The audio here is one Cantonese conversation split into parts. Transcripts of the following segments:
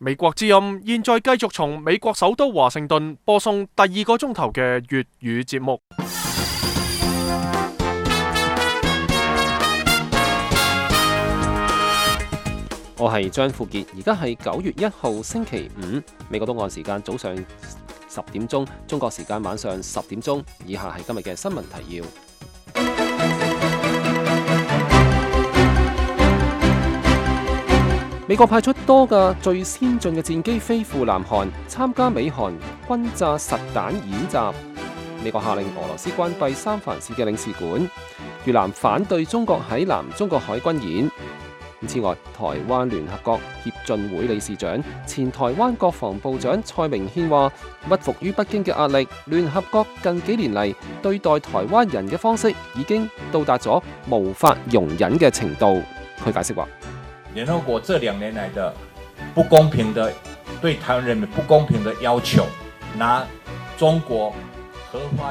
美國之音現在繼續從美國首都華盛頓播送第二個鐘頭嘅粵語節目。我係張富傑，而家係9月1號星期五，美國東岸時間早上10點鐘，中國時間晚上10點鐘。以下係今日嘅新聞提要。美國派出多架最先進嘅戰機飛赴南韓，參加美韓轟炸實彈演習。美國下令俄羅斯關閉三藩市嘅領事館。越南反對中國喺南中國海軍演。此外，台灣聯合國協進會理事長、前台灣國防部長蔡明憲話：屈服於北京嘅壓力，聯合國近幾年嚟對待台灣人嘅方式已經到達咗無法容忍嘅程度。佢解釋話：聯合國這2年來的不公平的對台灣人民不公平的要求，拿中國。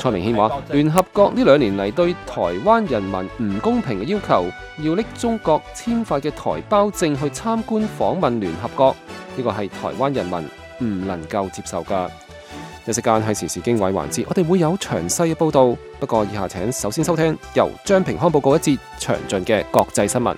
蔡明憲話：聯合國呢2年嚟對台灣人民唔公平嘅要求，要拎中國簽發嘅台胞證去參觀訪問聯合國，呢個係台灣人民唔能夠接受㗎。一時間係時事經緯環節，我哋會有詳細嘅報導。不過以下請首先收聽由張平康報告一節詳盡嘅國際新聞。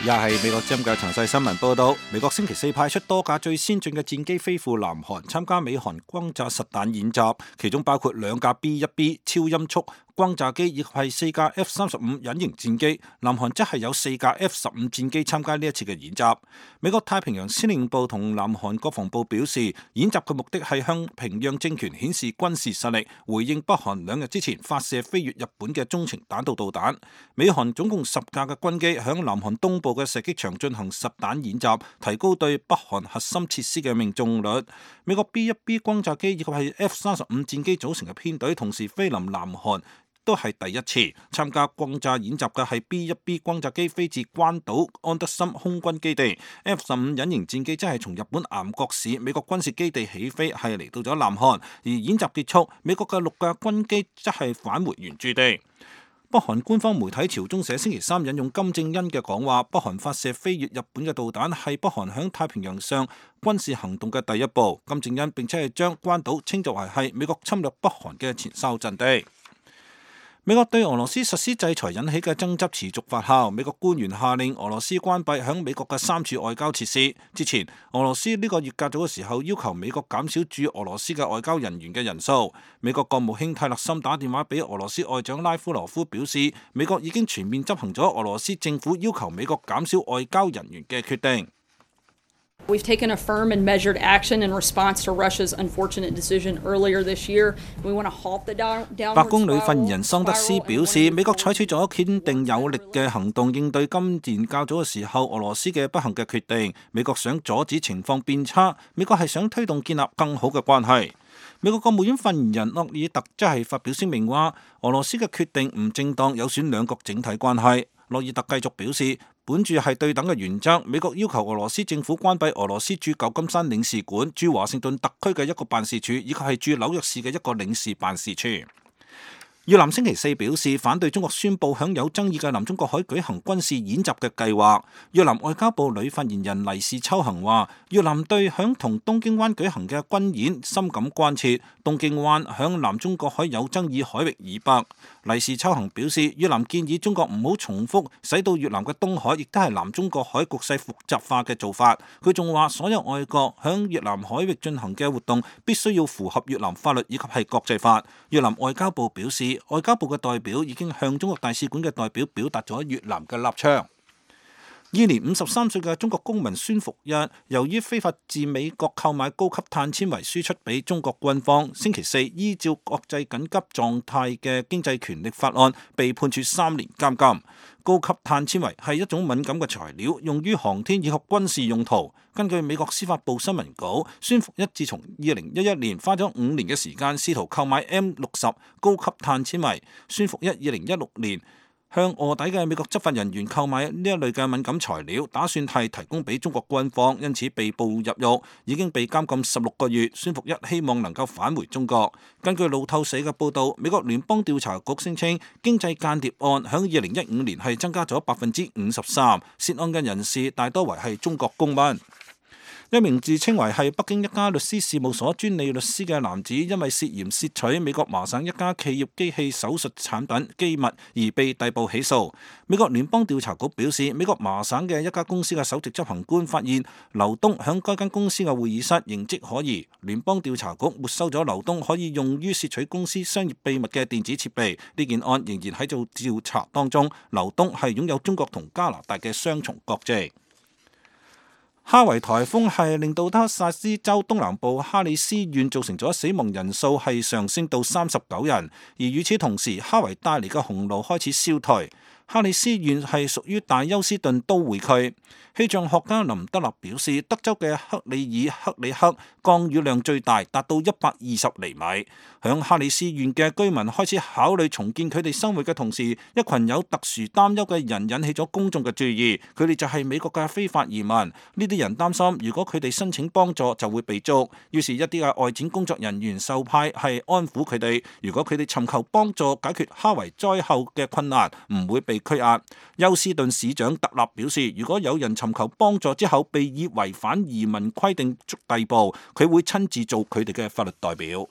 又係美國之音嘅詳細新聞報道。美國星期4派出多架最先進嘅戰機飛赴南韓，參加美韓轟炸實彈演習，其中包括2架 B-1B 超音速轟炸機以及係4架 F-35 隱形戰機。南韓則係有4架 F-15 戰機參加呢一次嘅演習。美國太平洋司令部同南韓國防部表示，演習嘅目的係向平壤政權顯示軍事實力，回應北韓2日之前發射飛越日本嘅中程彈道導彈。美韓總共10架嘅軍機響南韓東部嘅射擊場進行實彈演習，提高對北韓核心設施嘅命中率。美國 B-1B 轟炸機以及係 F-35 戰機組成嘅編隊同時飛臨南韓，都係第一次。參加轟炸演習嘅係 B-1B 轟炸機飛自關島安德森空軍基地， F-15 隱形戰機則係從日本岩國市美國軍事基地起飛，係嚟到咗南韓。而演習結束，美國嘅6架軍機則係返回原駐地。北韓官方媒體朝中社星期3引用金正恩嘅講話，北韓發射飛越日本嘅導彈係北韓響太平洋上軍事行動嘅第一步。金正恩並且係將關島稱作為係美國侵略北韓嘅前哨陣地。美國對俄羅斯實施制裁引起嘅爭執持續發酵，美國官員下令俄羅斯關閉響美國嘅3處外交設施。之前，俄羅斯呢個月較早嘅時候要求美國減少駐俄羅斯嘅外交人員嘅人數。美國國務卿泰勒森打電話俾俄羅斯外長拉夫羅夫，表示美國已經全面執行咗俄羅斯政府要求美國減少外交人員嘅決定。We've taken a firm and measured action in response to Russia's unfortunate decision earlier this year. We want to halt the downward 白宮女發言人桑德斯表示，美國採取咗堅定有力嘅行動應對今年較早嘅時候俄羅斯嘅不幸嘅決定。美國想阻止情況變差，美國係想推動建立更好嘅關係。美國國務院發言人諾爾特則係發表聲明話，俄羅斯嘅決定唔正當，有損兩國整體關係。諾爾特繼續表示，本住係對等嘅原則，美國要求俄羅斯政府關閉俄羅斯駐舊金山領事館、駐華盛頓特區嘅一個辦事處，以及係駐紐約市嘅一個領事辦事處。越南星期4表示反對中國宣布響有爭議嘅南中國海舉行軍事演習嘅計劃。越南外交部女發言人黎氏秋恒話，越南對響同東京灣舉行嘅軍演深感關切。東京灣響南中國海有爭議海域以北。黎氏秋恒表示，越南建議中國唔好重複使到越南嘅東海亦都係南中國海局勢複雜化嘅做法。佢仲話，所有外國響越南海域進行嘅活動必須要符合越南法律以及係國際法。越南外交部表示，外交部嘅代表已經向中國大使館嘅代表表達咗越南嘅立場。現年53歲嘅中國公民孫福一，由於非法自美國購買高級碳纖維輸出俾中國軍方，星期4依照國際緊急狀態嘅經濟權力法案被判處3年監禁。高級碳纖維係一種敏感嘅材料，用於航天以及軍事用途。根據美國司法部新聞稿，孫福一自從2011年花咗5年嘅時間試圖購買 M60 高級碳纖維。孫福一2016年向臥底嘅美國執法人員購買呢一類嘅敏感材料，打算係提供俾中國軍方，因此被捕入獄，已經被監禁16個月。孫福一希望能夠返回中國。根據路透社嘅報導，美國聯邦調查局聲稱經濟間諜案響2015年係增加咗53%，涉案嘅人士大多為係中國公民。一名自稱為係北京一家律師事務所專利律師嘅男子，因為涉嫌竊取美國麻省一家企業機器手術產品機密而被逮捕起訴。美國聯邦調查局表示，美國麻省嘅一家公司嘅首席執行官發現劉東響該間公司嘅會議室形跡可疑，聯邦調查局沒收咗劉東可以用於竊取公司商業秘密嘅電子設備。呢件案仍然喺做調查當中。劉東係擁有中國同加拿大嘅雙重國籍。哈維颱風係令到德薩斯州東南部哈里斯縣造成咗死亡人數係上升到39人，而與此同時，哈維帶嚟嘅洪澇開始消退。哈里斯縣係屬於大休斯頓都會區。氣象學家林德納表示，德州嘅克里爾克里克降雨量最大，達到120厘米。響哈里斯縣嘅居民開始考慮重建佢哋生活嘅同時，一群有特殊擔憂嘅人引起咗公眾嘅注意。佢哋就係美國嘅非法移民。呢啲人擔心，如果佢哋申請幫助就會被捉。於是，一啲嘅外展工作人員受派係安撫佢哋。如果佢哋尋求幫助解決哈維災後嘅困難，唔會被拘押。休斯頓市長特納表示，如果有人尋求幫助之後被以違反移民規定逮捕，佢會親自做佢哋嘅法律代表。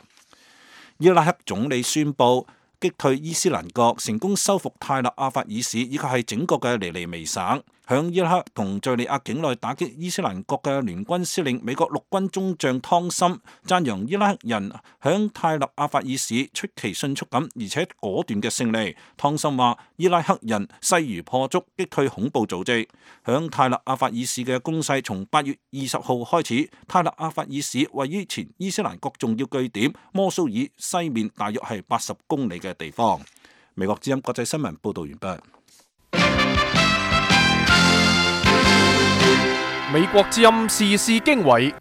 伊拉克總理宣布擊退伊斯蘭國，成功收復泰勒阿法爾市以及係整個嘅尼尼微省。響伊拉克同敘利亞境內打擊伊斯蘭國嘅聯軍司令美國陸軍中將湯森讚揚伊拉克人響泰勒阿法爾市出奇迅速咁而且果斷嘅勝利。湯森話伊拉克人勢如破竹擊退恐怖組織。響泰勒阿法爾市嘅攻勢從8月20號開始。泰勒阿法爾市位於前伊斯蘭國重要據點摩蘇爾西面大約係80公里嘅地方。美國之音國際新聞報道完畢。美國之音時事經緯，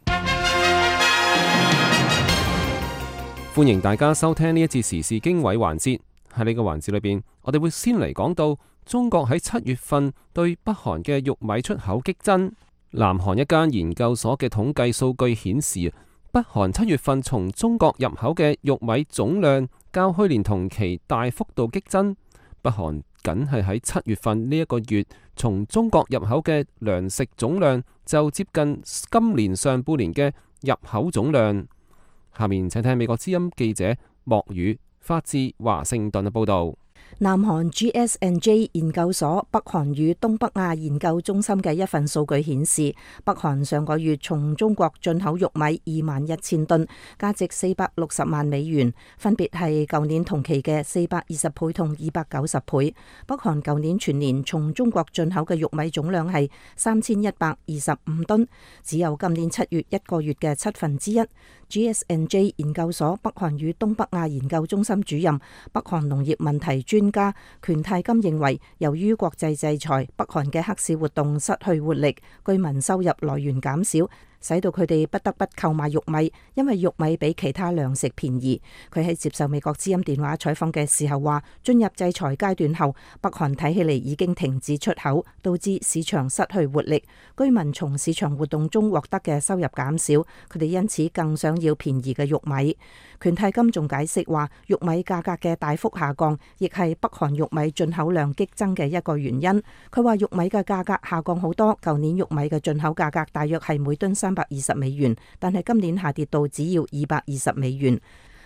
歡迎大家收聽呢一節時事經緯環節。喺呢個環節裏邊，我哋會先嚟講到中國喺7月份對北韓嘅玉米出口激增。南韓一間研究所嘅統計數據顯示，北韓7月份從中國入口嘅玉米總量較去年同期大幅度激增。北韓僅係喺7月份呢一個月，從中國入口嘅糧食總量就接近今年上半年嘅入口總量。下面請聽美國之音記者莫宇發自華盛頓嘅報道。南韓 GS&J 研究所北韓與東北亞研究中心嘅一份數據顯示，北韓上個月從中國進口玉米21,000噸，價值460萬美元，分別係舊年同期嘅420倍同290倍。北韓舊年全年從中國進口嘅玉米總量係3125噸，只有今年7月一個月嘅1/7。GS&J 研究所北韓與東北亞研究中心主任、北韓農業問題專家權泰金認為，由於國際制裁，北韓嘅黑市活動失去活力，居民收入來源減少，使到佢哋不得不購買玉米，因為玉米比其他糧食便宜。佢喺接受美國之音電話採訪嘅時候話，進入制裁階段後，北韓睇起嚟已經停止出口，導致市場失去活力，居民從市場活動中獲得嘅收入減少，佢哋因此更想要便宜嘅玉米。權泰金仲解釋話，玉米價格嘅大幅下降，亦係北韓玉米進口量激增嘅一個原因。佢話玉米嘅價格下降好多，舊年玉米嘅進口價格大約係每噸320美元，但係今年下跌到只要220美元。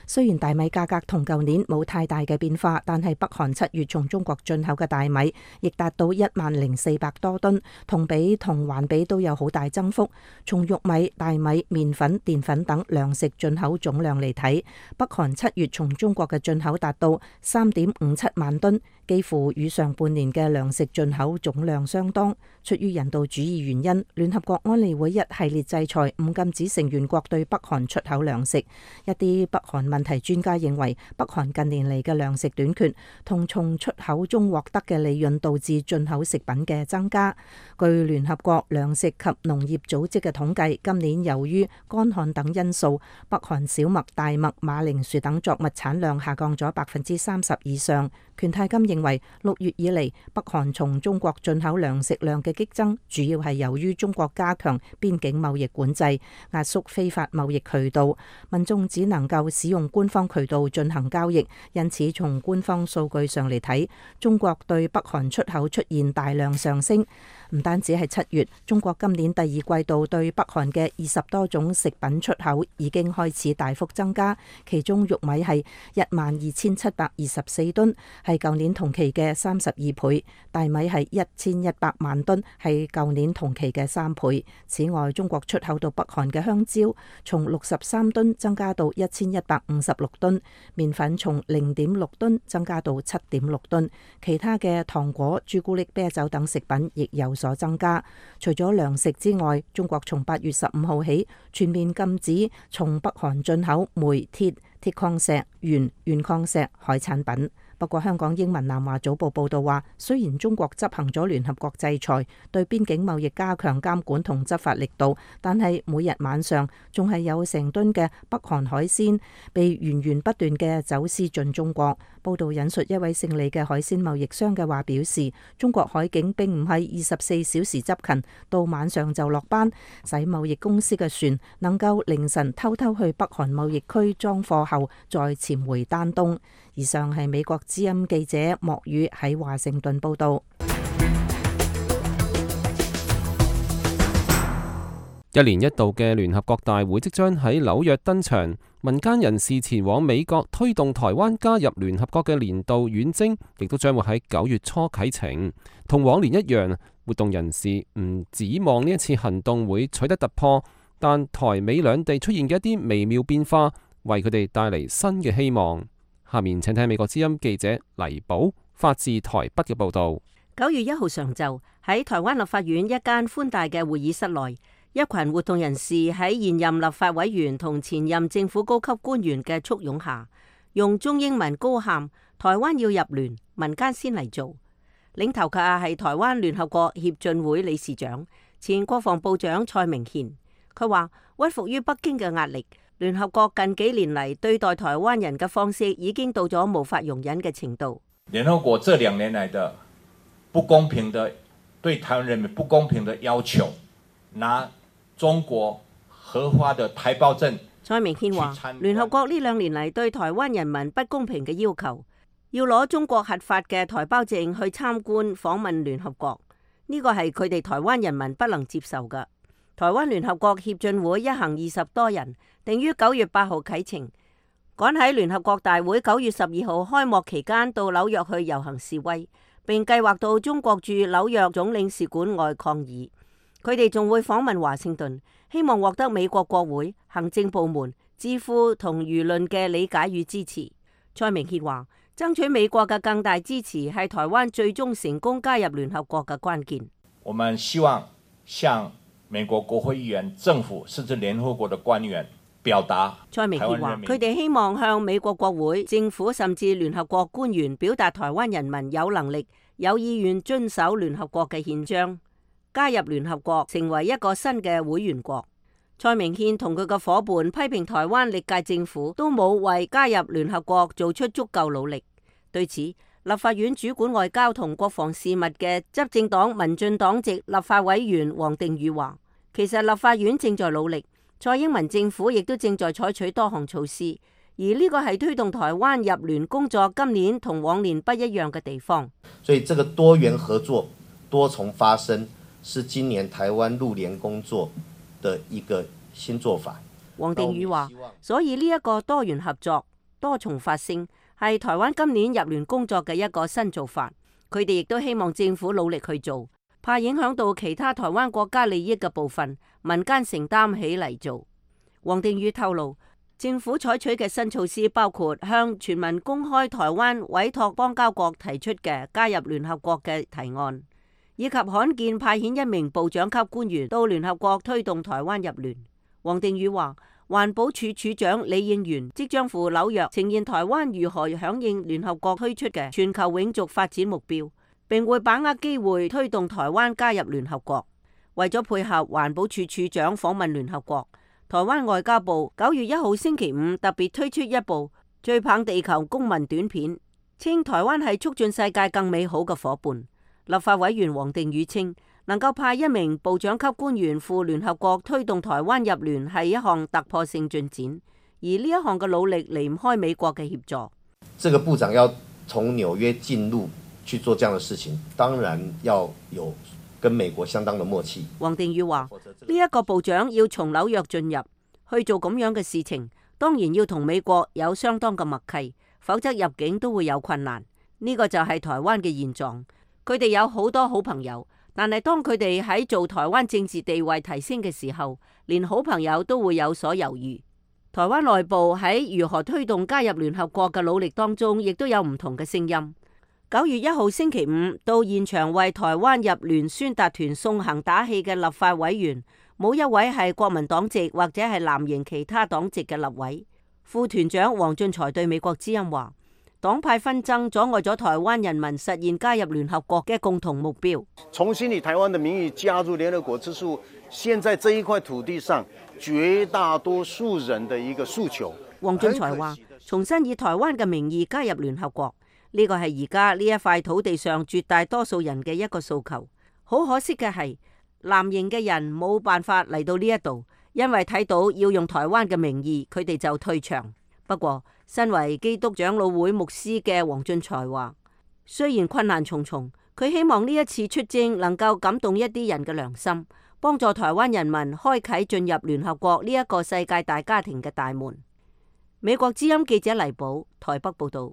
雖然大米價格同舊年冇太大嘅變化，但係北韓7月從中國進口嘅大米亦達到10,400多噸，同比同環比都有好大增幅。從玉米、大米、麵粉、澱粉等糧食進口總量嚟睇，北韓7月從中國嘅進口達到3.57萬噸，幾乎與上半年嘅糧食進口總量相當。出於人道主義原因，聯合國安理會一系列制裁唔禁止成員國對北韓出口糧食。一啲北韓問題專家認為，北韓近年嚟嘅糧食短缺同從出口中獲得嘅利潤導致進口食品嘅增加。據聯合國糧食及農業組織嘅統計，今年由於乾旱等因素，北韓小麥、大麥、馬鈴薯等作物產量下降咗30%以上。權太金認為，6月以嚟北韓從中國進口糧食量嘅激增，主要係由於中國加強邊境貿易管制，壓縮非法貿易渠道，民眾只能夠使用官方渠道進行交易。因此，從官方數據上嚟睇，中國對北韓出口出現大量上升。唔單止係7月，中國今年第二季度對北韓嘅20多種食品出口已經開始大幅增加，其中玉米係12,724噸，係舊年同期嘅32倍；大米係1100萬噸，係舊年同期嘅3倍。此外，中國出口到北韓嘅香蕉從63噸增加到1156噸，麵粉從0.6噸增加到7.6噸，其他嘅糖果、朱古力、啤酒等食品亦有所增加。除咗糧食之外，中國從8月15號起全面禁止從北韓進口煤、鐵、鐵礦石、鉛、鉛礦石、海產品。不過，香港英文南華早報報道話，雖然中國執行咗聯合國制裁，對邊境貿易加強監管同執法力度，但係每日晚上仲係有成噸嘅北韓海鮮被源源不斷嘅走私進中國。報道引述一位勝利嘅海鮮貿易商嘅話表示，中國海警並唔係24小時執勤，到晚上就落班，使貿易公司嘅船能夠凌晨偷偷去北韓貿易區裝貨後再潛回丹東。以上係美國之音記者莫宇喺華盛頓報道。一年一度嘅聯合國大會即將喺紐約登場，民間人士前往美國推動台灣加入聯合國嘅年度遠征，亦都將會喺9月初啟程。同往年一樣，活動人士唔指望呢一次行動會取得突破，但台美兩地出現嘅一啲微妙變化，為佢哋帶嚟新嘅希望。下面請聽美國之音記者黎寶發自台北嘅報道。9月1號上晝喺台灣立法院一間寬大嘅會議室內，一群活動人士喺現任立法委員同前任政府高級官員嘅簇擁下，用中英文高喊台灣要入聯，民間先嚟做。領頭嘅係台灣聯合國協進會理事長、前國防部長蔡明憲。佢話屈服於北京嘅壓力，聯合國近幾年嚟對待台灣人嘅方式已經到咗無法容忍嘅程度。聯合國這2年來的不公平的對台灣人民不公平的要求，拿中國核發的台胞證。蔡明憲話，聯合國呢2年嚟對台灣人民不公平嘅要求，要攞中國核發嘅台胞證去參觀訪問聯合國，呢個係佢哋台灣人民不能接受嘅。台灣聯合國協進會一行20多人，定於9月8號啟程，趕喺聯合國大會9月12號開幕期間到紐約去遊行示威，並計劃到中國駐紐約總領事館外抗議。佢哋仲會訪問華盛頓，希望獲得美國國會、行政部門、智庫同輿論嘅理解與支持。蔡明憲話，爭取美國嘅更大支持係台灣最終成功加入聯合國嘅關鍵。我們希望向美國國會議員、政府甚至聯合國的官員表達。蔡明憲話，佢哋希望向美國國會、政府甚至聯合國官員表達台灣人民有能力、有意願遵守聯合國嘅憲章，加入聯合國成為一個新嘅會員國。蔡明憲同佢嘅伙伴批評台灣歷屆政府都冇為加入聯合國做出足夠努力。對此，立法院主管外交同國防事務嘅執政黨民進黨籍立法委員王定宇話，其實立法院正在努力，蔡英文政府亦都正在採取多項措施，而呢個係推動台灣入聯工作今年同往年不一樣嘅地方。所以這個多元合作、多重發聲是今年台灣入聯工作的一個新做法。王定宇話，所以呢一個多元合作、多重發聲係台灣今年入聯工作嘅一個新做法。佢哋亦都希望政府努力去做，怕影響到其他台灣國家利益嘅部分，民間承擔起嚟做。王定宇透露，政府採取嘅新措施包括向全民公開台灣委託邦交國提出嘅加入聯合國嘅提案，以及罕見派遣1名部長級官員到聯合國推動台灣入聯。王定宇話，環保署署長李應元即將赴紐約呈現台灣如何響應聯合國推出嘅全球永續發展目標，並會把握機會推動台灣加入聯合國。為咗配合環保署署長訪問聯合國，台灣外交部9月1號星期五特別推出一部追棒地球公民短片，稱台灣係促進世界更美好嘅夥伴。立法委員黃定宇稱，能夠派一名部長級官員赴聯合國推動台灣入聯係一項突破性進展，而呢一項嘅努力離唔開美國嘅協助。這個部長要從紐約進入去做這樣的事情，當然要有跟美國相當的默契。黃定宇話：呢一個部長要從紐約進入去做咁樣嘅事情，當然要同美國有相當嘅默契，否則入境都會有困難。呢個就係台灣嘅現狀。佢哋有好多好朋友，但係當佢哋喺做台灣政治地位提升嘅時候，連好朋友都會有所猶豫。台灣內部喺如何推動加入聯合國嘅努力當中，亦都有唔同嘅聲音。9月1號星期五到現場為台灣入聯宣達團送行打氣嘅立法委員，冇一位係國民黨籍或者係藍營其他黨籍嘅立委。副團長黃俊才對美國之音話：黨派紛爭阻礙咗台灣人民實現加入聯合國嘅共同目標。重新以台灣的名義加入聯合國，這是現在這一塊土地上絕大多數人的一個訴求。黃俊才話：重新以台灣嘅名義加入聯合國，呢個係而家呢一塊土地上絕大多數人嘅一個訴求。好可惜嘅係，藍營嘅人冇辦法嚟到呢一度，因為睇到要用台灣嘅名義，佢哋就退場。不過，身為基督長老會牧師嘅黃俊才話，雖然困難重重，佢希望呢一次出征能夠感動一啲人嘅良心，幫助台灣人民開啟進入聯合國呢一個世界大家庭嘅大門。美國之音記者黎寶台北報道。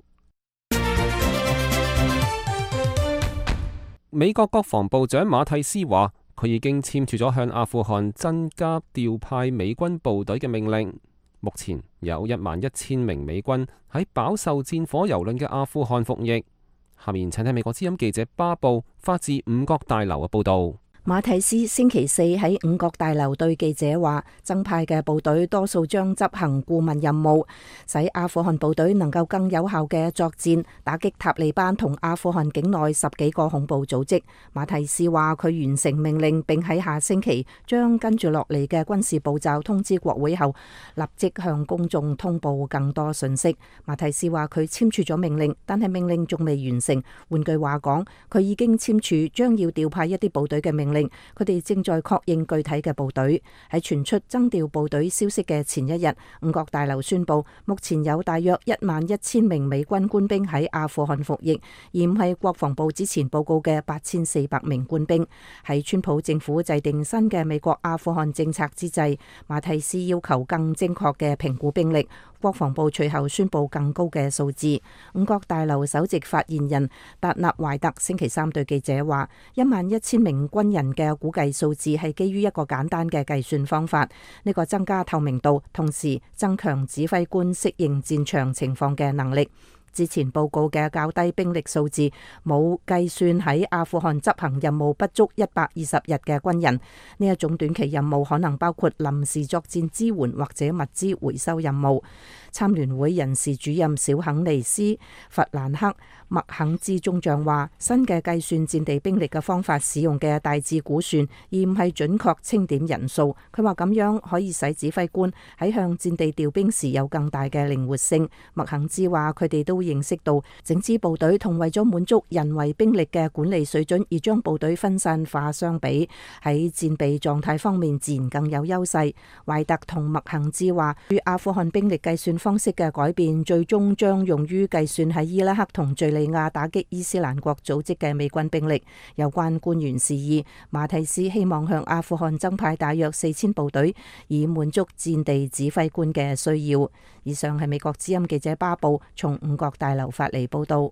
美國國防部長馬蒂斯話，佢已經簽署咗向阿富汗增加調派美軍部隊嘅命令。目前有11000名美軍喺飽受戰火蹂躪嘅阿富汗服役。下面請睇美國之音記者巴布發自五角大樓嘅報道。馬蒂斯星期四喺五角大樓對記者話，增派嘅部隊多數將執行顧問任務，使阿富汗部隊能夠更有效嘅作戰，打擊塔利班同阿富汗境內10幾個恐怖組織。馬蒂斯話佢完成命令，並喺下星期將跟住落嚟嘅軍事步驟通知國會後，立即向公眾通報更多信息。馬蒂斯話佢簽署咗命令，但係命令仲未完成。換句話講，佢已經簽署將要調派一啲部隊嘅命令。佢哋正在確認具體嘅部隊。喺傳出增調部隊消息嘅前一日，五角大樓宣布目前有大約11000名美軍官兵喺阿富汗服役，而唔係國防部之前報告嘅8400名官兵。喺川普政府制定新嘅美國阿富汗政策之際，馬蒂斯要求更精確嘅評估兵力。國防部隨後宣布更高嘅數字。五角大樓首席發言人達納懷特星期三對記者話，11000名軍人嘅估計數字係基於一個簡單嘅計算方法，呢個增加透明度，同時增強指揮官適應戰場情況嘅能力。之前報告嘅較低兵力數字冇計算喺阿富汗執行任務不足120日嘅軍人。呢一種短期任務可能包括臨時作戰支援或者物資回收任務。參聯會人事主任小肯尼斯弗蘭克麥肯茲中將話，新嘅計算戰地兵力嘅方法使用嘅大致估算，而唔係準確清點人數。佢話咁樣可以使指揮官喺向戰地調兵時有更大嘅靈活性。麥肯茲話佢哋都認識到整支部隊同為咗滿足人為兵力嘅管理水準而將部隊分散化相比，喺戰備狀態方面自然更有優勢。懷特同麥肯茲話，與阿富汗兵力計算方式嘅改變，最終將用於計算喺伊拉克同敘利亞打擊伊斯蘭國組織嘅美軍兵力。有關官員示意，馬蒂斯希望向阿富汗增派大約4000部隊，以滿足戰地指揮官嘅需要。以上係美國之音記者巴布從五角大樓發嚟報道。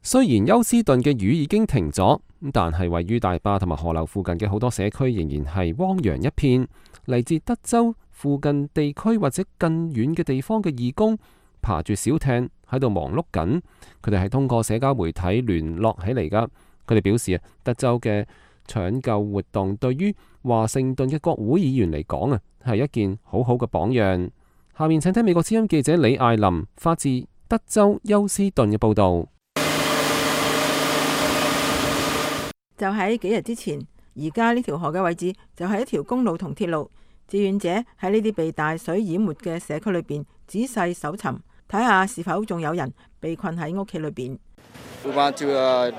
雖然休斯頓嘅雨已經停咗，但係位於大壩同埋河流附近嘅好多社區仍然係汪洋一片。嚟自德州附近地區或者更遠嘅地方嘅義工爬住小艇喺度忙碌緊，佢哋係通過社交媒體聯絡起嚟噶。佢哋表示德州嘅搶救活動對於華盛頓嘅國會議員嚟講啊，係一件好好嘅榜樣。下面請聽美國之音記者李艾琳發自德州休斯頓嘅報導。就喺幾日之前，而家呢條河嘅位置就係一條公路同鐵路。志願者喺呢啲被大水淹沒嘅社區裏邊仔細搜尋，睇下是否仲有人被困喺屋企裏邊。We went to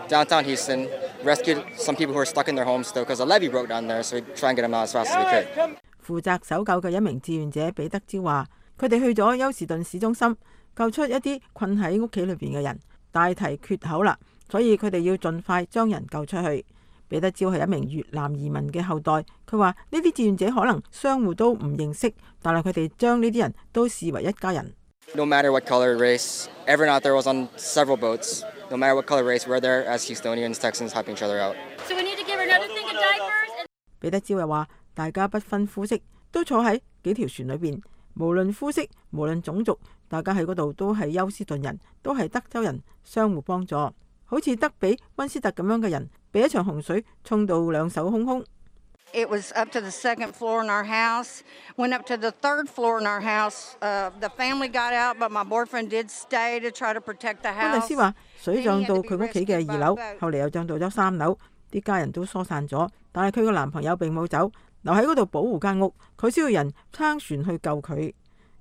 downtown Houston, rescued some people who were stuck in their homes still because a levee broke down there, so we try and get them out as fast as we could. 負責搜救嘅一名志願者彼得招話，佢哋去咗休士頓市中心，救出一啲困喺屋企裏邊嘅人，大堤缺口啦，所以佢哋要盡快將人救出去。彼得招係一名越南移民嘅後代，佢話呢啲志願者可能相互都唔認識，但係佢哋將呢啲人都視為一家人。No matter what color, race, everyone out there was on several boats. No matter what color, race, we're there as Houstonians, Texans, helping each other out. So we need to give her another thing of diapers. 彼得招又話，大家不分膚色，都坐喺幾條船裏邊，無論膚色，無論種族，大家喺嗰度都係休斯頓人，都係德州人，相互幫助。好似德比溫斯特咁樣嘅人，被一場洪水沖到兩手空空。It was up to the second floor in our house, went up to the third floor in our house. The family got out, but my boyfriend did stay to try to protect the house. 溫蒂斯話：水漲到佢屋企嘅2樓，後嚟又漲到咗3樓，啲家人都疏散咗，但係佢個男朋友並冇走，留喺嗰度保護間屋。佢需要人撐船去救佢。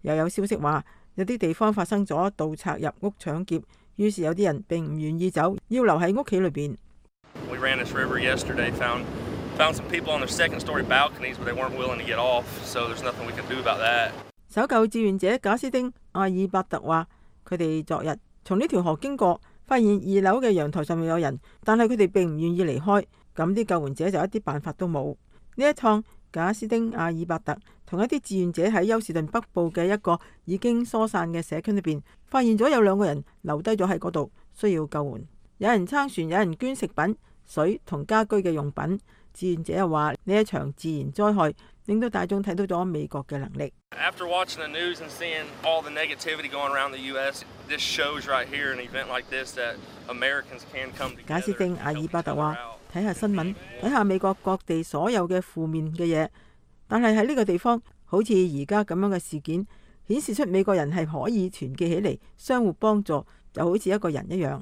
又有消息話，有啲地方發生咗盜賊入屋搶劫，於是有啲人並唔願意走，要留喺屋企裏邊。We ran this river yesterday, found some people on their second-story balconies, but they weren't willing to get off, so there's nothing we can do about that. 搜救志願者賈斯丁·阿爾伯特話：佢哋昨日從呢條河經過，發現2樓嘅陽台上面有人，但係佢哋並唔願意離開。咁啲救援者就一啲辦法都冇。呢一趟，賈斯丁·阿爾伯特同一啲志願者喺休士頓北部嘅一個已經疏散嘅社區裏邊，發現咗有2個人留低咗喺嗰度，需要救援。有人撐船，有人捐食品、水同家居嘅用品。志願者又話：呢一場自然災害令到大眾睇到咗美國嘅能力。After watching the news and seeing all the negativity going around the U.S., this shows right here an event like this that Americans can come together. 賈斯汀·阿爾伯特話：睇下新聞，睇下美國各地所有嘅負面嘅嘢，但係喺呢個地方，好似而家咁樣嘅事件，顯示出美國人係可以團結起嚟，相互幫助，就好似一個人一樣。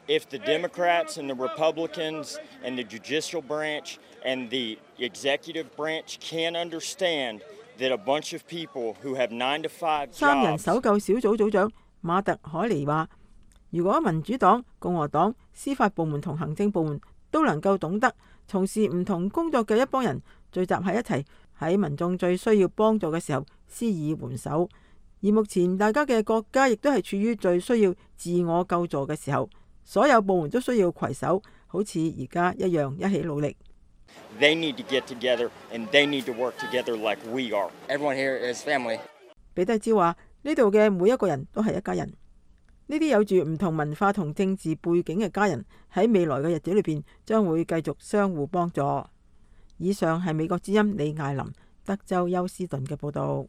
If the Democrats and the Republicans and the judicial branch and the executive branch can't understand that a bunch of people who have 9 to 5 jobs， 3人搜救小組組長馬特海尼話：如果民主黨、共和黨、司法部門同行政部門都能夠懂得從事唔同工作嘅一幫人聚集喺一齊，喺民眾最需要幫助嘅時候施以援手，而目前大家嘅國家亦都係處於最需要自我救助嘅時候。所有部門都需要攜手，好似而家一樣一起努力。They need to get together and they need to work together like we are. Everyone here is family. 彼得招話：呢度嘅每一個人都係一家人。呢啲有住唔同文化同政治背景嘅家人喺未來嘅日子裏邊將會繼續相互幫助。以上係美國之音李艾琳德州休斯頓嘅報導。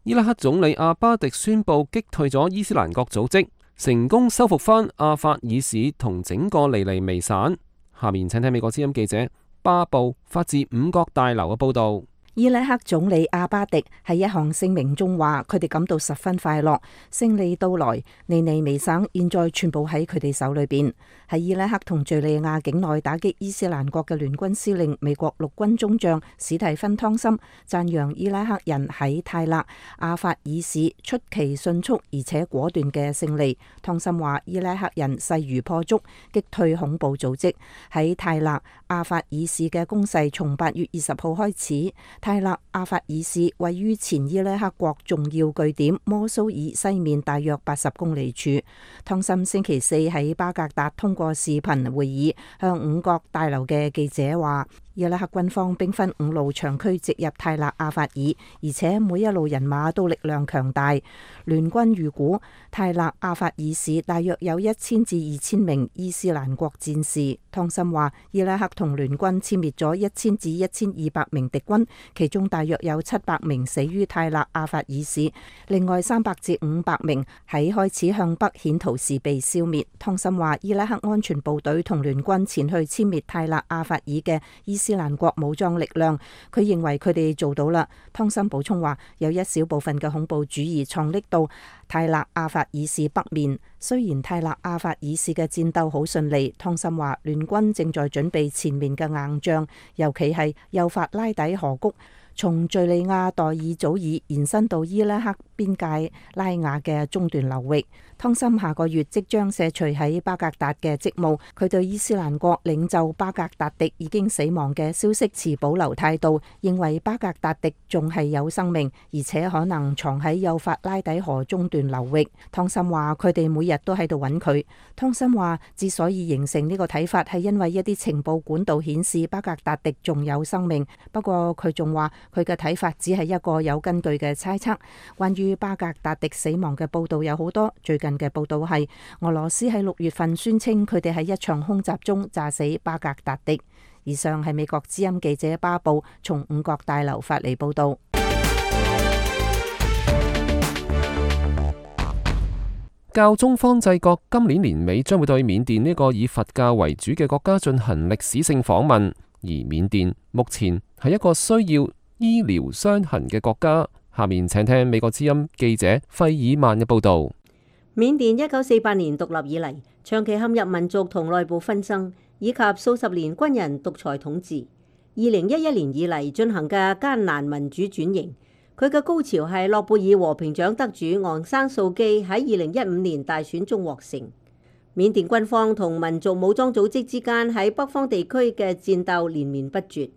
伊拉克總理阿巴迪宣布擊退咗伊斯蘭國組織，成功收復翻阿法爾市同整個尼尼微省。下面請聽美國之音記者巴布發自5角大樓嘅報導。伊拉克總理阿巴迪喺一項聲明中話，佢哋感到十分快樂，勝利到來，尼尼微省現在全部喺佢哋手裏邊。喺伊拉克同敘利亞境內打擊伊斯蘭國嘅聯軍司令美國陸軍中將史蒂芬湯森讚揚伊拉克人喺泰勒阿法爾市出奇迅速而且果斷嘅勝利。湯森話，伊拉克人勢如破竹，擊退恐怖組織。喺泰勒阿法爾市嘅攻勢從8月20號開始。泰勒阿法爾市位於前伊拉克國重要據點摩蘇爾西面大約80公里處。湯森星期4喺巴格達通過視頻會議向5角大樓嘅記者話，伊拉克軍方兵分5路長驅直入泰勒阿法爾，而且每一路人馬都力量強大。聯軍預估泰勒阿法爾市大約有1000至2000名伊斯蘭國戰士。湯森話，伊拉克同聯軍殲滅咗1000至1200名敵軍，其中大約有700名死於泰勒阿法爾市，另外300至500名喺開始向北險逃時被消滅。湯森話，伊拉克安全部隊同聯軍前去殲滅泰勒阿法爾嘅伊斯蘭國武裝力量，佢認為佢哋做到啦。湯森補充話，有一小部分嘅恐怖主義藏匿到泰勒阿法爾市北面。雖然泰勒阿法爾市嘅戰鬥好順利，湯森話聯軍正在準備前面嘅硬仗，尤其係幼發拉底河谷，從敘利亞代爾祖爾延伸到伊拉克邊界拉雅嘅中段流域。湯森下個月即將卸除喺巴格達嘅職務，佢對伊斯蘭國領袖巴格達迪已經死亡嘅消息持保留態度，認為巴格達迪仲係有生命，而且可能藏喺幼發拉底河中段流域。湯森話佢哋每日都喺度揾佢。湯森話之所以形成呢個睇法係因為一啲情報管道顯示巴格達迪仲有生命，不過佢仲話佢嘅睇法只係一個有根據嘅猜測。關於巴格達迪死亡嘅報道有好多，最近嘅報道係俄羅斯喺6月份宣稱佢哋喺一場空襲中炸死巴格達迪。以上係美國之音記者巴布從5角大樓發嚟報道。教宗方濟各今年年尾將會對緬甸呢個以佛教為主嘅國家進行歷史性訪問，而緬甸目前係一個需要醫療傷痕嘅國家。下面請聽美國之音記者費爾曼嘅報道。緬甸1948年獨立以嚟，長期陷入民族同內部紛爭，以及數十年軍人獨裁統治。2011年以嚟進行嘅艱難民主轉型，佢嘅高潮係諾貝爾和平獎得主昂山素基喺2015年大選中獲勝。緬甸軍方同民族武裝組織之間喺北方地區嘅戰鬥連綿不絕，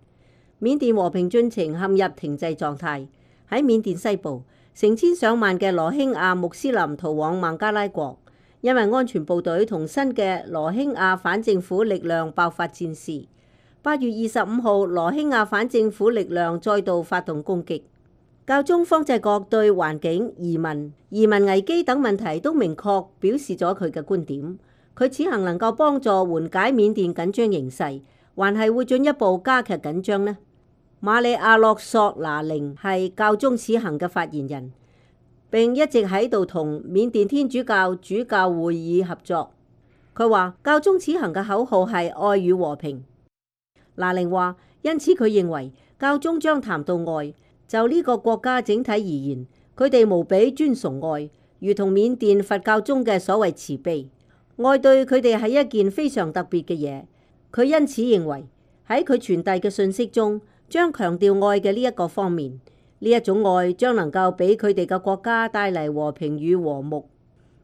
緬甸和平進程陷入停滯狀態。喺緬甸西部，成千上萬嘅羅興亞穆斯林逃往孟加拉國，因為安全部隊同新嘅羅興亞反政府力量爆發戰事。8月25號，羅興亞反政府力量再度發動攻擊。教宗方濟各對環境、移民危機等問題都明確表示咗佢嘅觀點。佢此行能夠幫助緩解緬甸緊張形勢，還係會進一步加劇緊張呢？馬里亞洛索拿寧係教宗此行嘅發言人，並一直喺度同緬甸天主教主教會議合作。佢話教宗此行嘅口號係愛與和平。拿寧話，因此佢認為教宗將談到愛，就呢個國家整體而言，佢哋無比尊崇愛，如同緬甸佛教中嘅所謂慈悲。愛對佢哋係一件非常特別嘅嘢。佢因此認為喺佢傳遞嘅信息中，將強調愛嘅呢一個方面，呢一種愛將能夠俾佢哋嘅國家帶嚟和平與和睦。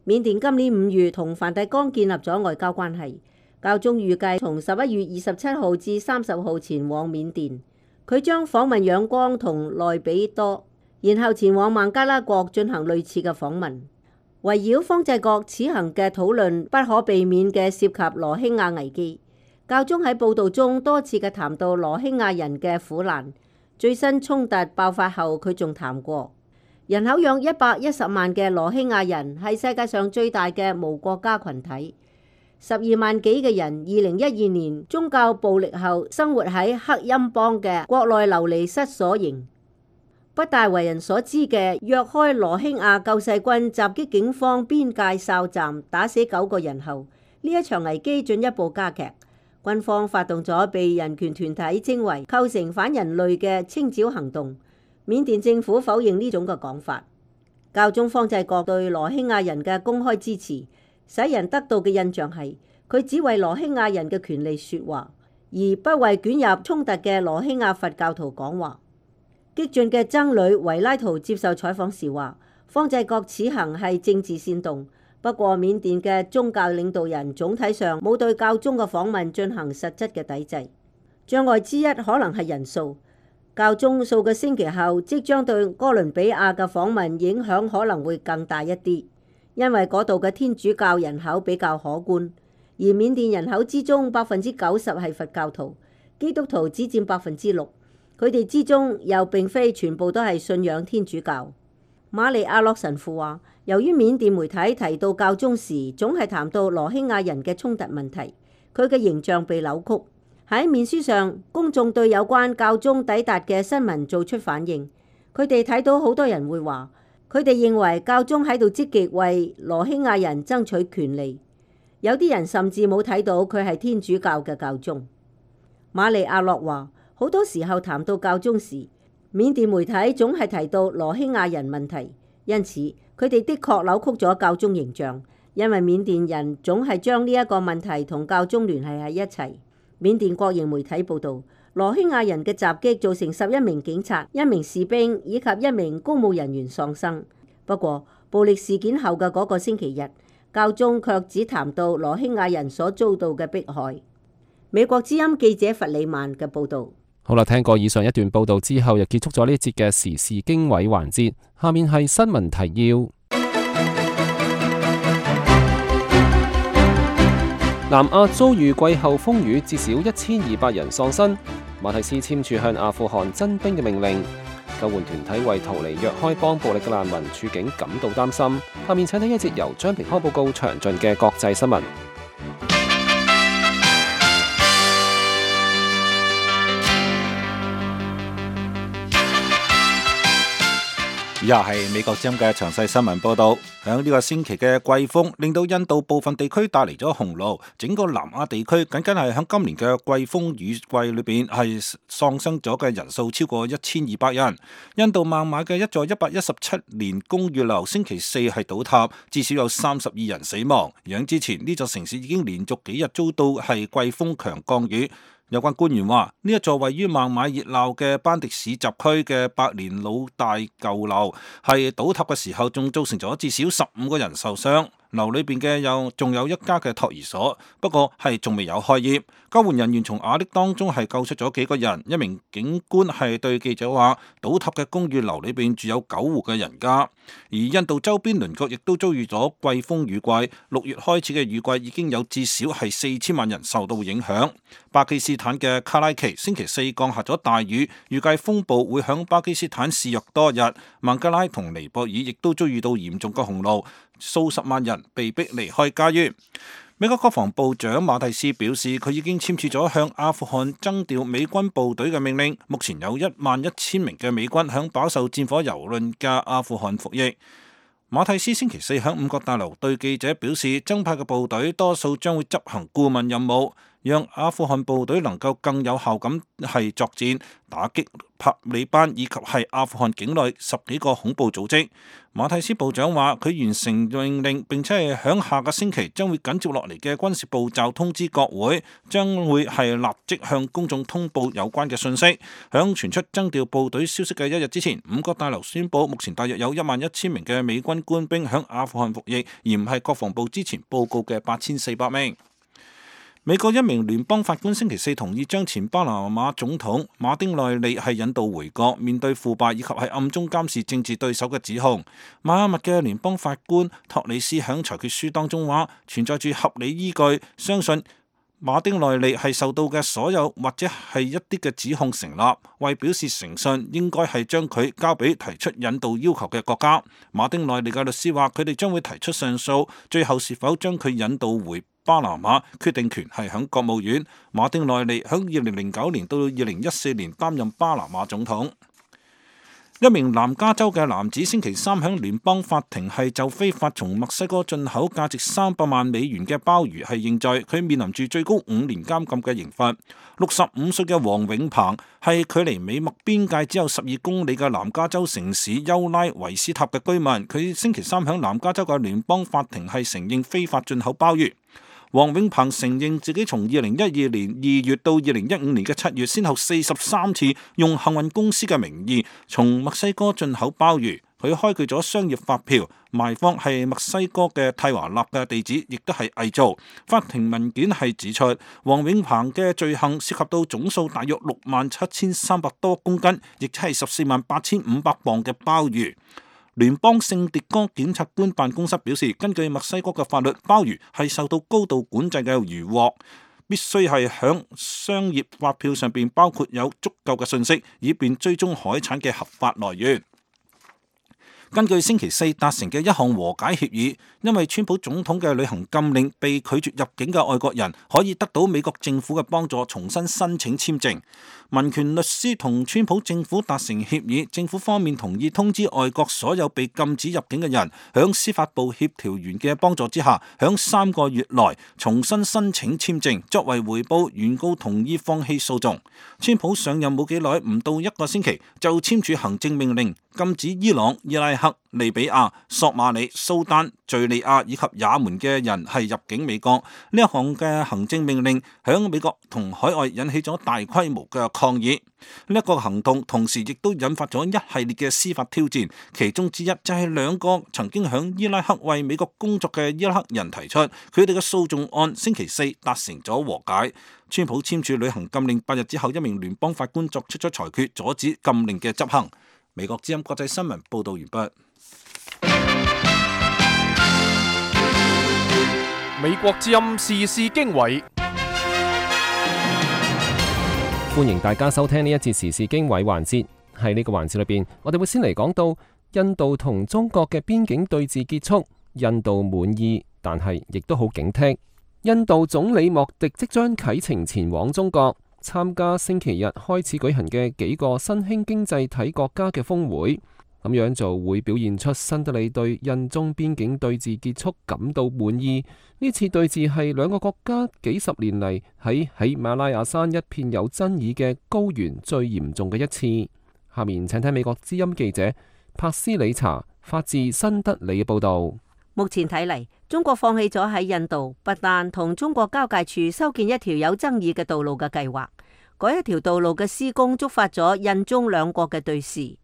緬甸今年5月同梵蒂岡建立咗外交關係，教宗預計從11月27號至30號前往緬甸，佢將訪問仰光同內比多，然後前往孟加拉國進行類似嘅訪問。圍繞方濟各此行嘅討論不可避免嘅涉及羅興亞危機。教宗喺報道中多次嘅談到羅興亞人嘅苦難，最新衝突爆發後，佢仲談過人口約110萬嘅羅興亞人係世界上最大嘅無國家群體，12萬幾嘅人2012年宗教暴力後生活喺克欽邦嘅國內流離失所營。不大為人所知嘅若開羅興亞救世軍襲擊警方邊界哨站，打死9個人後，呢一場危機進一步加劇。軍方發動咗被人權團體稱為構成反人類嘅清剿行動。緬甸政府否認呢種嘅講法。教宗方濟各對羅興亞人嘅公開支持，使人得到嘅印象係佢只為羅興亞人嘅權利說話，而不為捲入衝突嘅羅興亞佛教徒講話。激進嘅僧侶維拉圖接受採訪時話，方濟各此行係政治煽動。不過，緬甸嘅宗教領導人總體上冇對教宗嘅訪問進行實質嘅抵制。障礙之一可能係人數。教宗數個星期後即將對哥倫比亞嘅訪問影響可能會更大一啲，因為嗰度嘅天主教人口比較可觀，而緬甸人口之中90%係佛教徒，基督徒只佔6%，佢哋之中又並非全部都係信仰天主教。馬利亞洛神父話，由於緬甸媒體提到教宗時，總係談到羅興亞人嘅衝突問題，佢嘅形象被扭曲。喺面書上，公眾對有關教宗抵達嘅新聞做出反應。佢哋睇到好多人會話，佢哋認為教宗喺度積極為羅興亞人爭取權利。有啲人甚至冇睇到佢係天主教嘅教宗。馬利亞洛話，好多時候談到教宗時，緬甸媒體總係提到羅興亞人問題，因此佢哋的確扭曲咗教宗形象，因為緬甸人總係將呢一個問題同教宗聯繫喺一齊。緬甸國營媒體報導，羅興亞人嘅襲擊造成11名警察、1名士兵以及1名公務人員喪生。不過，暴力事件後嘅嗰個星期日，教宗卻只談到羅興亞人所遭到嘅迫害。美國之音記者弗里曼嘅報導。好啦，聽過以上一段報導之後，又結束咗呢一節嘅時事經緯環節。下面係新聞提要。南亞遭遇季候風雨，至少1200人喪生。馬蒂斯簽署向阿富汗增兵嘅命令。救援團體為逃離若開邦暴力嘅難民處境感到擔心。下面請睇一節由張平康報告詳盡嘅國際新聞。以下係美國之音嘅詳細新聞報道。響呢個星期嘅季風令到印度部分地區帶嚟咗洪澇，整個南亞地區僅僅係響今年嘅季風雨季裏邊係喪生咗嘅人數超過1200人。印度孟買嘅一座117年公寓樓星期四係倒塌，至少有32人死亡。而之前呢座城市已經連續幾日遭到係季風強降雨。有關官員話，呢一座位於孟買熱鬧嘅班迪市集區嘅百年老大舊樓係倒塌嘅時候，仲造成咗至少15個人受傷。樓裏邊嘅仲有一家嘅托兒所，不過係仲未有開業。救援人員從瓦礫當中係救出咗幾個人。一名警官係對記者話，倒塌嘅公寓樓裏邊住有9戶嘅人家。而印度周邊鄰國亦都遭遇咗季風雨季，6月開始嘅雨季已經有至少係4000萬人受到影響。巴基斯坦嘅卡拉奇星期四降下咗大雨，預計風暴會響巴基斯坦肆虐多日。孟加拉同尼泊爾亦都遭遇到嚴重嘅洪澇，數十萬人被迫離開家園。美國國防部長馬蒂斯表示，佢已經簽署咗向阿富汗增調美軍部隊嘅命令。目前有11000名嘅美軍響飽受戰火蹂躪嘅阿富汗服役。馬蒂斯星期四響五角大樓對記者表示，增派嘅部隊多數將會執行顧問任務，讓阿富汗部隊能夠更有效咁係作戰，打擊塔利班以及係阿富汗境內10幾個恐怖組織。馬蒂斯部長話，佢完成命令，並且係響下個星期將會緊接落嚟嘅軍事步驟通知國會，將會係立即向公眾通報有關嘅信息。響傳出增調部隊消息嘅1日之前，五角大樓宣布目前大約有11000名嘅美軍官兵響阿富汗服役，而唔係國防部之前報告嘅8400名。美國一名聯邦法官星期四同意將前巴拿馬總統馬丁內利係引渡回國，面對腐敗以及係暗中監視政治對手嘅指控。邁阿密嘅聯邦法官托里斯響裁決書當中話，存在住合理依據，相信馬丁內利係受到嘅所有或者係一啲嘅指控成立，為表示誠信，應該係將佢交俾提出引渡要求嘅國家。馬丁內利嘅律師話，佢哋將會提出上訴，最後是否將佢引渡回巴拿馬，決定權係響國務院。馬丁內利響2009年到2014年擔任巴拿馬總統。一名南加州嘅男子星期三響聯邦法庭係就非法從墨西哥進口價值300萬美元嘅鮑魚係認罪，佢面臨住最高5年監禁嘅刑罰。65歲嘅黃永鵬係距離美墨邊界只有12公里嘅南加州城市丘拉維斯塔嘅居民，佢星期三響南加州嘅聯邦法庭係承認非法進口鮑魚。黃永鵬承認自己從2012年2月到2015年嘅7月，先後43次用幸運公司嘅名義從墨西哥進口鮑魚。佢開具咗商業發票，賣方係墨西哥嘅蒂華納嘅地址，亦都係偽造。法庭文件係指出，黃永鵬嘅罪行涉及到總數大約67300多公斤，亦即係148500磅嘅鮑魚。聯邦聖迭戈檢察官辦公室表示，根據墨西哥嘅法律，鮑魚係受到高度管制嘅漁獲。必須係響商業發票上邊包括有足夠嘅信息，以便追蹤海產嘅合法來源。根據星期四達成嘅一項和解協議，因為川普總統嘅旅行禁令被拒絕入境嘅外國人可以得到美國政府嘅幫助，重新申請簽證。民權律師同川普政府達成協議，政府方面同意通知外國所有被禁止入境嘅人，響司法部協調員嘅幫助之下，響3個月內重新申請簽證，作為回報，原告同意放棄訴訟。川普上任冇幾耐，唔到1個星期就簽署行政命令，禁止伊朗、伊拉克、利比亞、索馬里、蘇丹、敘利亞以及也門嘅人係入境美國。呢一項嘅行政命令響美國同海外引起咗大規模嘅抗議。呢一個行動同時亦都引發咗一系列嘅司法挑戰，其中之一就係2個曾經響伊拉克為美國工作嘅伊拉克人提出，佢哋嘅訴訟案星期四達成咗和解。川普簽署旅行禁令8日之後，一名聯邦法官作出咗裁決，阻止禁令嘅執行。美國之音國際新聞報道完畢。美國之音時事經緯，歡迎大家收聽呢一節時事經緯環節。喺呢個環節裏邊，我哋會先嚟講到印度同中國嘅邊境對峙結束，印度滿意，但係亦都好警惕。印度總理莫迪即將啟程前往中國，參加星期日開始舉行嘅幾個新興經濟體國家嘅峰會，咁樣就會表現出新德里對印中邊境對峙結束感到滿意。呢次對峙係2個國家幾十年嚟喺喜馬拉雅山一片有爭議嘅高原最嚴重嘅一次。下面請睇美國之音記者帕斯里查發自新德里嘅報道。目前睇嚟，中國放棄咗喺印度不丹同中國交界處修建一條有爭議嘅道路嘅計劃。嗰一條道路嘅施工觸發咗印中2國嘅對峙。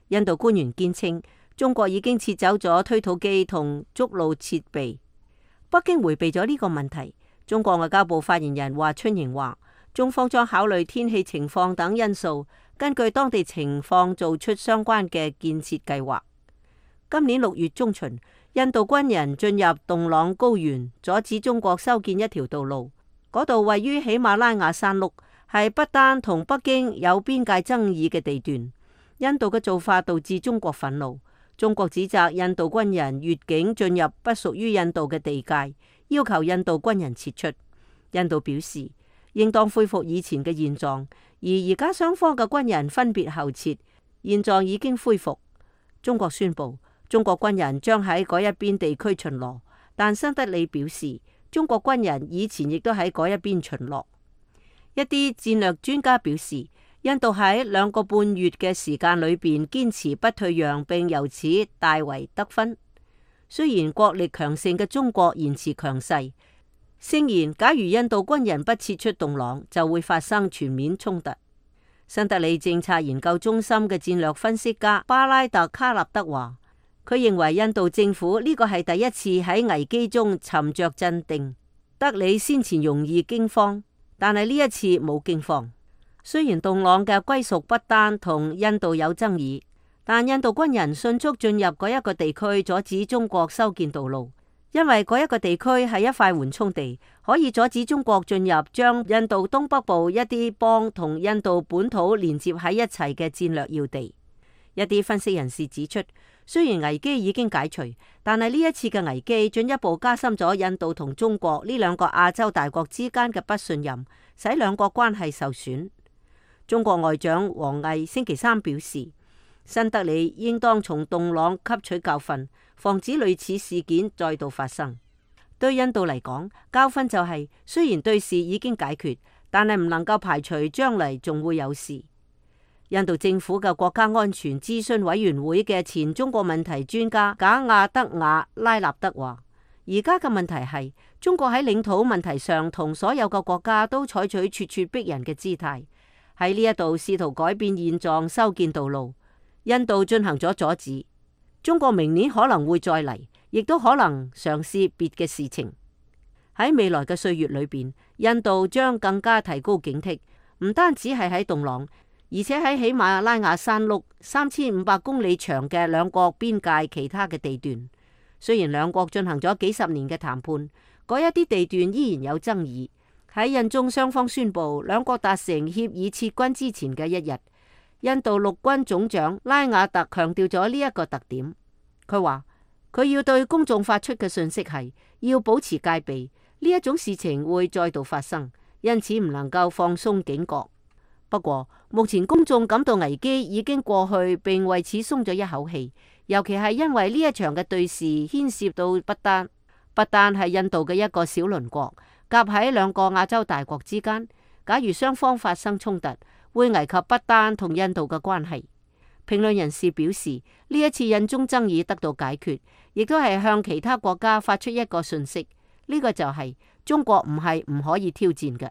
印度官員堅稱，中國已經撤走咗推土機同築路設備。北京迴避咗呢個問題。中國外交部發言人華春瑩話，中方將考慮天氣情況等因素，根據當地情況做出相關嘅建設計劃。今年6月中旬，印度軍人進入洞朗高原，阻止中國修建一條道路。嗰度位於喜馬拉雅山麓，係不丹同北京有邊界爭議嘅地段。印度嘅做法導致中國憤怒，中國指責印度軍人越境進入不屬於印度嘅地界，要求印度軍人撤出。印度表示應當恢復以前嘅現狀，而家雙方嘅軍人分別後撤，現狀已經恢復。中國宣布，中國軍人將喺嗰一邊地區巡邏，但新德里表示，中國軍人以前亦都喺嗰一邊巡邏。一啲戰略專家表示，印度喺2個半月嘅時間裏邊堅持不退讓，並由此大為得分。雖然國力強盛嘅中國言辭強勢，聲言假如印度軍人不撤出洞朗，就會發生全面衝突。新德里政策研究中心嘅戰略分析家巴拉特卡納德話，佢認為印度政府呢個係第一次喺危機中沉着鎮定。德里先前容易驚慌，但係呢一次冇驚慌。雖然洞朗嘅歸屬不丹同印度有爭議，但印度軍人迅速進入嗰一個地區，阻止中國修建道路，因為嗰一個地區係一塊緩衝地，可以阻止中國進入將印度東北部一啲邦同印度本土連接喺一齊嘅戰略要地。一啲分析人士指出，雖然危機已經解除，但係呢一次嘅危機進一步加深咗印度同中國呢2個亞洲大國之間嘅不信任，使2國關係受損。中國外長王毅星期3表示，新德里應當從洞朗吸取教訓，防止類似事件再度發生。對印度嚟講，教訓就係雖然對事已經解決，但係唔能夠排除將嚟仲會有事。印度政府嘅國家安全諮詢委員會嘅前中國問題專家賈亞德瓦拉納德話，而家嘅問題係中國喺領土問題上同所有嘅國家都採取咄咄逼人嘅姿態，喺呢一度試圖改變現狀，修建道路。印度進行咗阻止，中國明年可能會再嚟，亦都可能嘗試別嘅事情。喺未來嘅歲月裏邊，印度將更加提高警惕，唔單止係喺洞朗，而且喺喜馬拉雅山麓3500公里長嘅2國邊界其他嘅地段。雖然2國進行咗幾十年嘅談判，嗰一啲地段依然有爭議。喺印中雙方宣布兩國達成協議撤軍之前嘅一日，印度陸軍總長拉瓦特強調咗呢一個特點。佢話佢要對公眾發出嘅訊息係要保持戒備，呢一種事情會再度發生，因此唔能夠放鬆警覺。不過目前公眾感到危機已經過去，並為此鬆咗一口氣，尤其係因為呢一場嘅對峙牽涉到不丹。不丹係印度嘅一個小鄰國，夾喺兩個亞洲大國之間。假如雙方發生衝突，會危及不丹同印度嘅關係。評論人士表示，呢一次印中爭議得到解決，亦都係向其他國家發出一個訊息，呢個就係中國唔係唔可以挑戰嘅。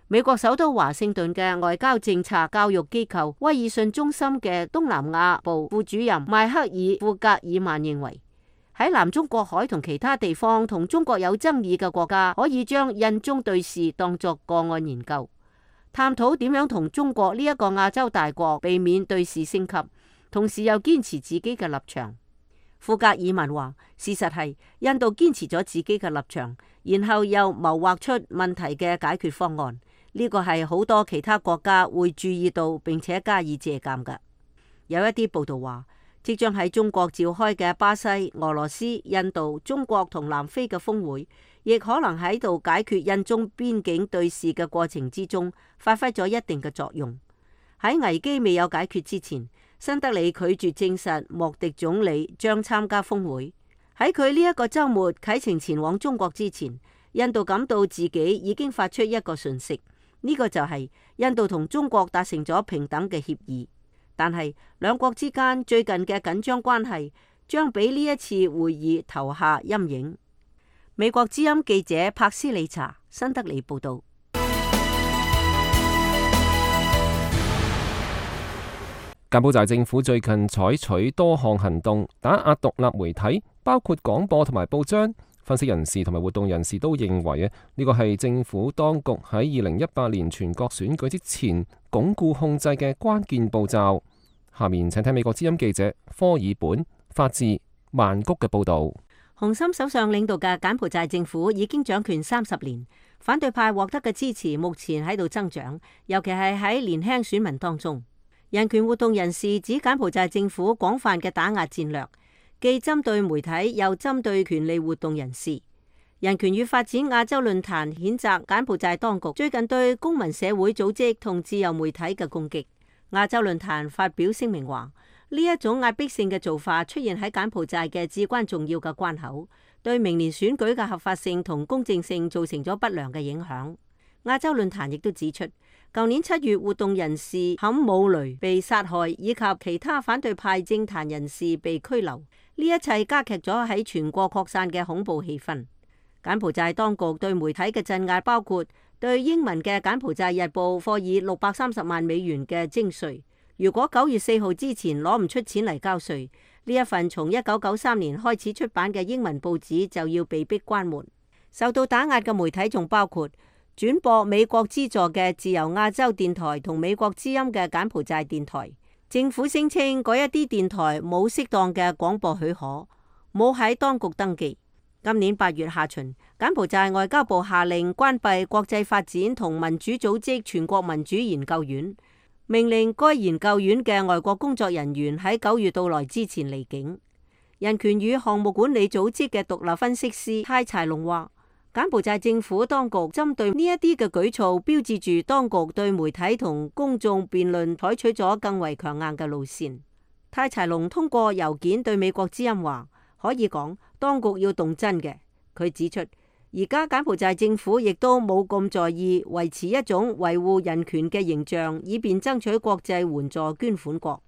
美國首都華盛頓嘅外交政策教育機構威爾遜中心嘅東南亞部副主任邁克爾·庫格爾曼認為，喺南中國海同其他地方同中國有爭議嘅國家，可以將印中對峙當作個案研究，探討點樣同中國呢一個亞洲大國避免對峙升級，同時又堅持自己嘅立場。庫格爾曼話，事實係印度堅持咗自己嘅立場，然後又謀劃出問題嘅解決方案。呢個係好多其他國家會注意到並且加以借鑑嘅。有一啲報道話，即將喺中國召開嘅巴西、俄羅斯、印度、中國同南非嘅峰會，亦可能喺度解決印中邊境對峙嘅過程之中，發揮咗一定嘅作用。喺危機未有解決之前，新德里拒絕證實莫迪總理將參加峰會。喺佢呢一個週末啟程前往中國之前，印度感到自己已經發出一個訊息，呢個就係印度同中國達成咗平等嘅協議。但係兩國之間最近嘅緊張關係將俾呢一次會議投下陰影。美國之音記者柏斯里查新德里報道。柬埔寨政府最近採取多項行動打壓獨立媒體，包括廣播同埋報章。分析人士同埋活動人士都認為呢個係政府當局喺2018年全國選舉之前鞏固控制嘅關鍵步驟。下面請聽美國之音記者科爾本發自曼谷嘅報導。洪森首相領導嘅柬埔寨政府已經掌權30年，反對派獲得嘅支持目前喺度增長，尤其係喺年輕選民當中。人權活動人士指柬埔寨政府廣泛嘅打壓戰略，既針對媒體又針對權利活動人士。人權與發展亞洲論壇譴責柬埔寨當局最近對公民社會組織同自由媒體嘅攻擊。亞洲論壇發表聲明話，呢一種壓迫性嘅做法出現喺柬埔寨嘅至關重要嘅關口，對明年選舉嘅合法性同公正性造成咗不良嘅影響。亞洲論壇亦都指出，舊年7月活動人士坎姆雷被殺害，以及其他反對派政壇人士被拘留，呢一切加劇咗喺全國擴散嘅恐怖氣氛。柬埔寨當局對媒體嘅鎮壓包括對英文嘅柬埔寨日報課以630萬美元嘅徵稅，如果9月4號之前攞唔出錢嚟交稅，呢一份從1993年開始出版嘅英文報紙就要被迫關門。受到打壓嘅媒體仲包括轉播美國資助嘅自由亞洲電台同美國之音嘅柬埔寨電台。政府聲稱嗰一啲電台冇適當嘅廣播許可，冇喺當局登記。今年8月下旬，柬埔寨外交部下令關閉國際發展同民主組織全國民主研究院，命令該研究院嘅外國工作人員喺9月到來之前離境。人權與項目管理組織嘅獨立分析師泰柴龍話，柬埔寨政府當局針對呢一啲嘅舉措，標誌住當局對媒體同公眾辯論採取咗更為強硬嘅路線。泰柴龍通過郵件對美國之音話，可以講當局要動真嘅。佢指出，而家柬埔寨政府亦都冇咁在意維持一種維護人權嘅形象，以便爭取國際援助捐款國。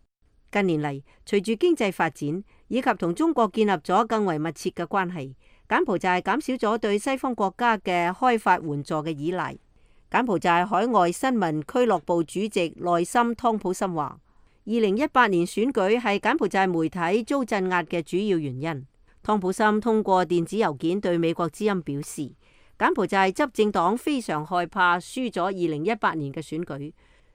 近年嚟，隨住經濟發展以及同中國建立咗更為密切嘅關係，柬埔寨減少咗對西方國家嘅開發援助嘅依賴。柬埔寨海外新聞俱樂部主席內森湯普森話，2018年選舉係柬埔寨媒體遭鎮壓嘅主要原因。湯普森通過電子郵件對美國之音表示，柬埔寨執政黨非常害怕輸咗2018年嘅選舉，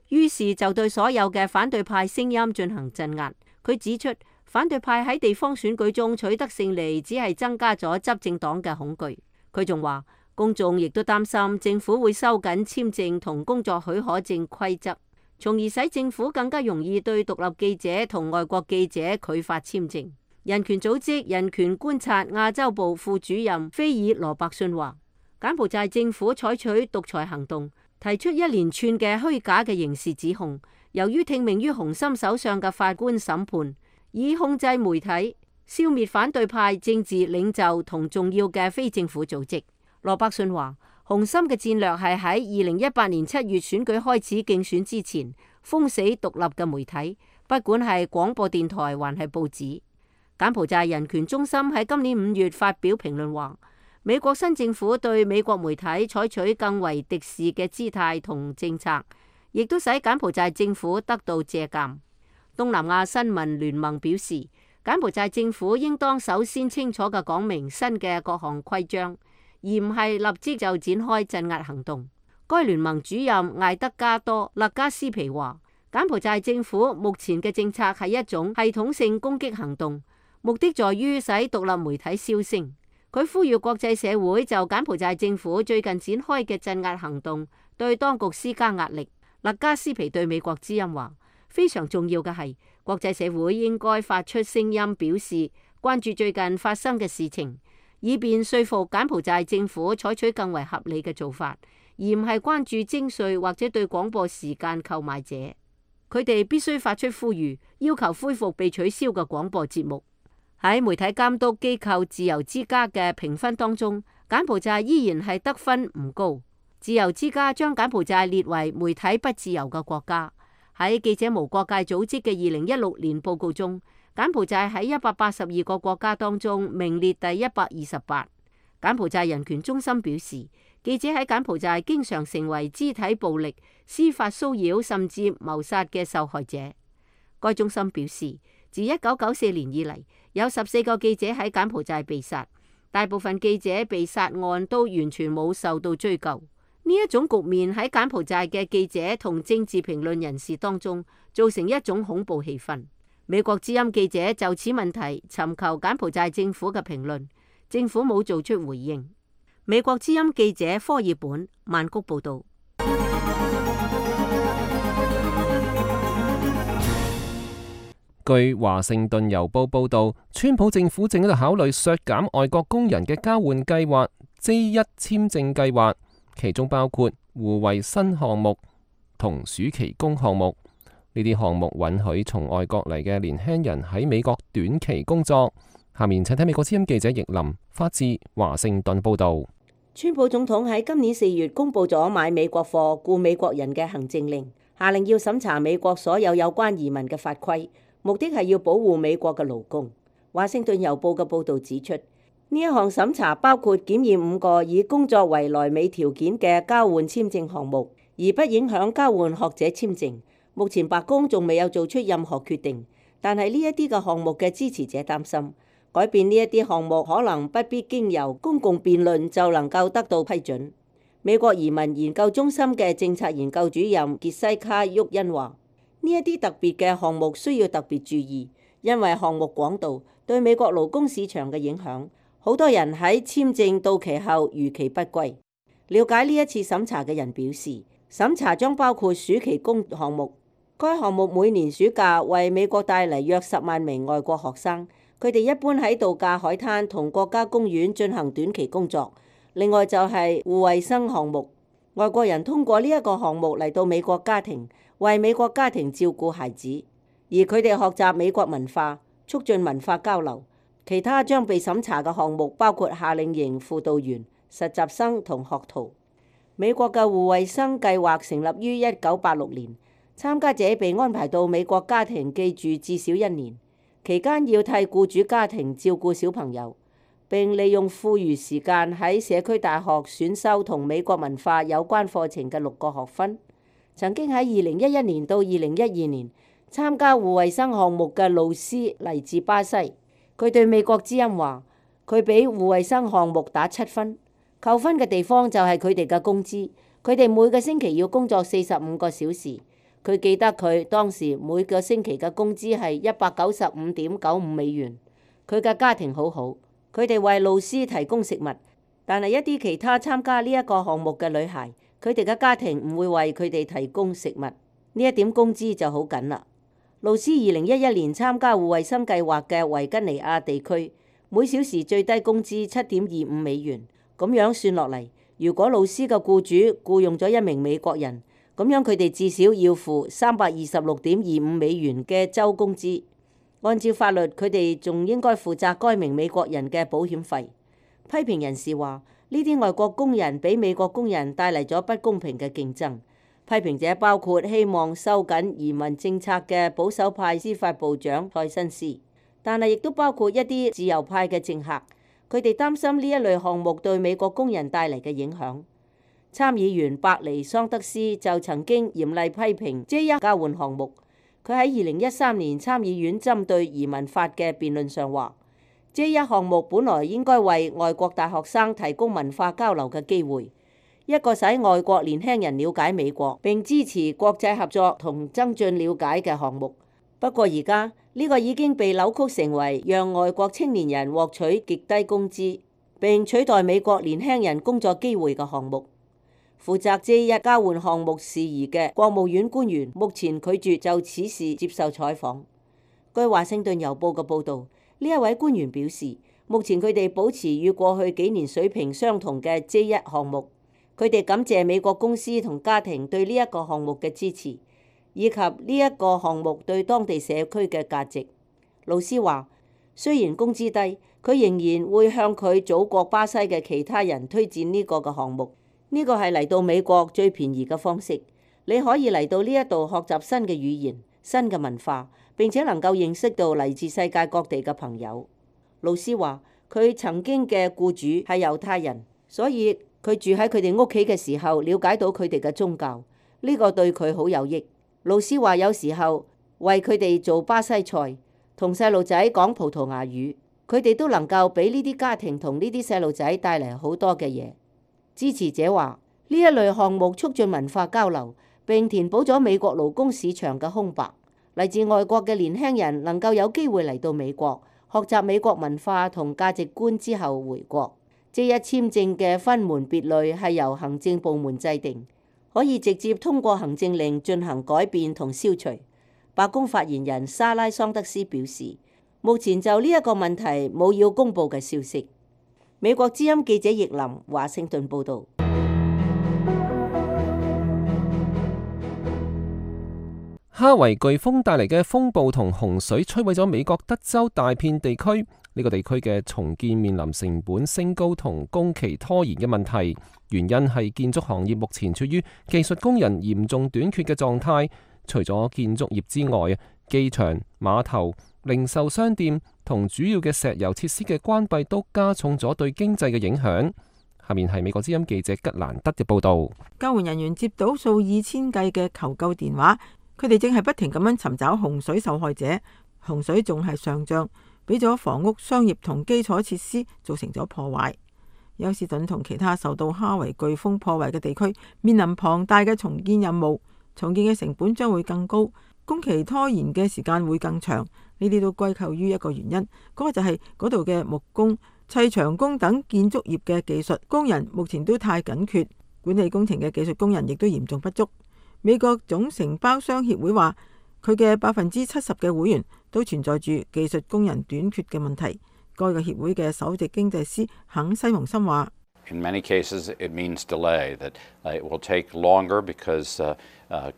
於是就對所有嘅反對派聲音進行鎮壓。佢指出，反對派喺地方選舉中取得勝利，只係增加咗執政黨嘅恐懼。佢仲話，公眾亦都擔心政府會收緊簽證同工作許可證規則，從而使政府更加容易對獨立記者同外國記者拒發簽證。人權組織人權觀察亞洲部副主任菲爾羅伯遜話，柬埔寨政府採取獨裁行動，提出一連串嘅虛假嘅刑事指控。由於聽命於洪森手上嘅法官審判，以控制媒體、消滅反對派政治領袖同重要嘅非政府組織。羅伯遜話，洪森嘅戰略係喺2018年7月選舉開始競選之前封死獨立嘅媒體，不管係廣播電台還係報紙。柬埔寨人權中心喺今年5月發表評論話，美國新政府對美國媒體採取更為敵視嘅姿態同政策，亦都使柬埔寨政府得到借鑑。東南亞新聞聯盟表示，柬埔寨政府應當首先清楚嘅講明新嘅各項規章，而唔係立即就展開鎮壓行動。該聯盟主任艾德加多勒加斯皮話，柬埔寨政府目前嘅政策係一種系統性攻擊行動，目的在於使獨立媒體銷聲。佢呼籲國際社會就柬埔寨政府最近展開嘅鎮壓行動對當局施加壓力。勒加斯皮對美國之音話，非常重要嘅係國際社會應該發出聲音，表示關注最近發生嘅事情，以便說服柬埔寨政府採取更為合理嘅做法，而唔係關注徵稅或者對廣播時間購買者。佢哋必須發出呼籲，要求恢復被取消嘅廣播節目。喺媒體監督機構自由之家嘅評分當中，柬埔寨依然係得分唔高。自由之家將柬埔寨列為媒體不自由嘅國家。喺記者無國界組織嘅2016年報告中，柬埔寨喺182個國家當中名列第128。柬埔寨人權中心表示，記者喺柬埔寨經常成為肢體暴力、司法騷擾甚至謀殺嘅受害者。該中心表示，自1994年以嚟，有14個記者喺柬埔寨被殺，大部分記者被殺案都完全冇受到追究。呢一種局面喺柬埔寨嘅記者同政治評論人士當中造成一種恐怖氣氛。美國之音記者就此問題尋求柬埔寨政府嘅評論，政府冇做出回應。美國之音記者科爾本曼谷報道。據華盛頓郵報報導，川普政府正喺度考慮削減外國工人嘅交換計劃 J1 簽證計劃，其中包括互惠新項目同暑期工項目。呢啲項目允許從外國嚟嘅年輕人喺美國短期工作。下面請睇美國之音記者易林發自華盛頓報導。川普總統喺今年4月公布咗買美國貨、雇美國人嘅行政令，下令要審查美國所有有關移民嘅法規。目的係要保護美國嘅勞工。華盛頓郵報嘅報導指出，呢一項審查包括檢驗5個以工作為來美條件嘅交換簽證項目，而不影響交換學者簽證。目前白宮仲未有做出任何決定，但係呢一啲嘅項目嘅支持者擔心，改變呢一啲項目可能不必經由公共辯論就能夠得到批准。美國移民研究中心嘅政策研究主任傑西卡·沃恩話：呢一啲特別嘅項目需要特別注意，因為項目廣度對美國勞工市場嘅影響，好多人喺簽證到期後逾期不歸。了解呢一次審查嘅人表示，審查將包括暑期工項目。該項目每年暑假為美國帶嚟約10萬名外國學生，佢哋一般喺度假海灘同國家公園進行短期工作。另外就係互惠生項目，外國人通過呢一個項目嚟到美國家庭，為美國家庭照顧孩子，而佢哋學習美國文化，促進文化交流。其他將被審查嘅項目包括夏令營輔導員、實習生同學徒。美國嘅互惠生計劃成立於1986年，參加者被安排到美國家庭寄住至少1年，期間要替僱主家庭照顧小朋友，並利用課餘時間喺社區大學選修同美國文化有關課程嘅6個學分。曾經喺2011年到2012年參加互惠生項目嘅露斯嚟自巴西，佢對美國之音話：佢俾互惠生項目打7分，扣分嘅地方就係佢哋嘅工資，佢哋每個星期要工作45個小時。佢記得佢當時每個星期嘅工資係195.95美元。佢嘅家庭好好，佢哋為露斯提供食物，但係一啲其他參加呢一個項目嘅女孩，佢哋嘅家庭唔會為佢哋提供食物，呢一點工資就好緊啦。露絲2011年參加護衛生計劃嘅維吉尼亞地區，每小時最低工資7.25美元。咁樣算落嚟，如果露絲嘅僱主僱用咗一名美國人，咁樣佢哋至少要付326.25美元嘅週工資。按照法律，佢哋仲應該負責該名美國人嘅保險費。批評人士話，呢啲外國工人俾美國工人帶嚟咗不公平嘅競爭。批評者包括希望收緊移民政策嘅保守派司法部長塞申斯，但係亦都包括一啲自由派嘅政客，佢哋擔心呢一類項目對美國工人帶嚟嘅影響。參議員伯尼桑德斯就曾經嚴厲批評J1交換項目。佢喺2013年參議院針對移民法嘅辯論上話，J1項目本來應該為外國大學生提供文化交流嘅機會，一個使外國年輕人了解美國並支持國際合作同增進了解嘅項目。不過而家呢個已經被扭曲成為讓外國青年人獲取極低工資並取代美國年輕人工作機會嘅項目。負責J1交換項目事宜嘅國務院官員目前拒絕就此事接受採訪。據華盛頓郵報嘅報導，呢一位官員表示，目前佢哋保持與過去幾年水平相同嘅J1項目。佢哋感謝美國公司同家庭對呢一個項目嘅支持，以及呢一個項目對當地社區嘅價值。露絲話，雖然工資低，佢仍然會向佢祖國巴西嘅其他人推薦呢個嘅項目。呢個係嚟到美國最便宜嘅方式。你可以嚟到呢一度學習新嘅語言、新嘅文化，並且能夠認識到嚟自世界各地嘅朋友。露絲話，佢曾經嘅僱主係猶太人，所以佢住喺佢哋屋企嘅時候，了解到佢哋嘅宗教，呢個對佢好有益。露絲話，有時候為佢哋做巴西菜，同細路仔講葡萄牙語，佢哋都能夠俾呢啲家庭同呢啲細路仔帶嚟好多嘅嘢。支持者話，呢一類項目促進文化交流，並填補咗美國勞工市場嘅空白。嚟自外國嘅年輕人能夠有機會嚟到美國，學習美國文化同價值觀之後回國。J1簽證嘅分門別類係由行政部門制定，可以直接通過行政令進行改變同消除。白宮發言人莎拉桑德斯表示，目前就呢一個問題冇要公佈嘅消息。美國之音記者葉林華盛頓報導。哈維颶風帶嚟嘅風暴同洪水摧毀咗美國德州大片地區，呢個地區嘅重建面臨成本升高同工期拖延嘅問題。原因係建築行業目前處於技術工人嚴重短缺嘅狀態。除咗建築業之外，機場、碼頭、零售商店同主要嘅石油設施嘅關閉都加重咗對經濟嘅影響。下面係美國之音記者吉蘭德嘅報導。救援人員接到數以千計嘅求救電話，佢哋正係不停咁樣尋找洪水受害者。洪水仲係上漲，俾咗房屋、商業同基礎設施造成咗破壞。休士頓同其他受到哈維颶風破壞嘅地區面臨龐大嘅重建任務，重建嘅成本將會更高，工期拖延嘅時間會更長。呢啲都歸咎於一個原因，嗰個就係嗰度嘅木工、砌牆工等建築業嘅技術工人目前都太緊缺，管理工程嘅技術工人亦都嚴重不足。美國總承包商協會話，佢嘅70%嘅會員都存在住技術工人短缺嘅問題。該個協會嘅首席經濟師肯西蒙森話：In many cases, it means delay. That it will take longer because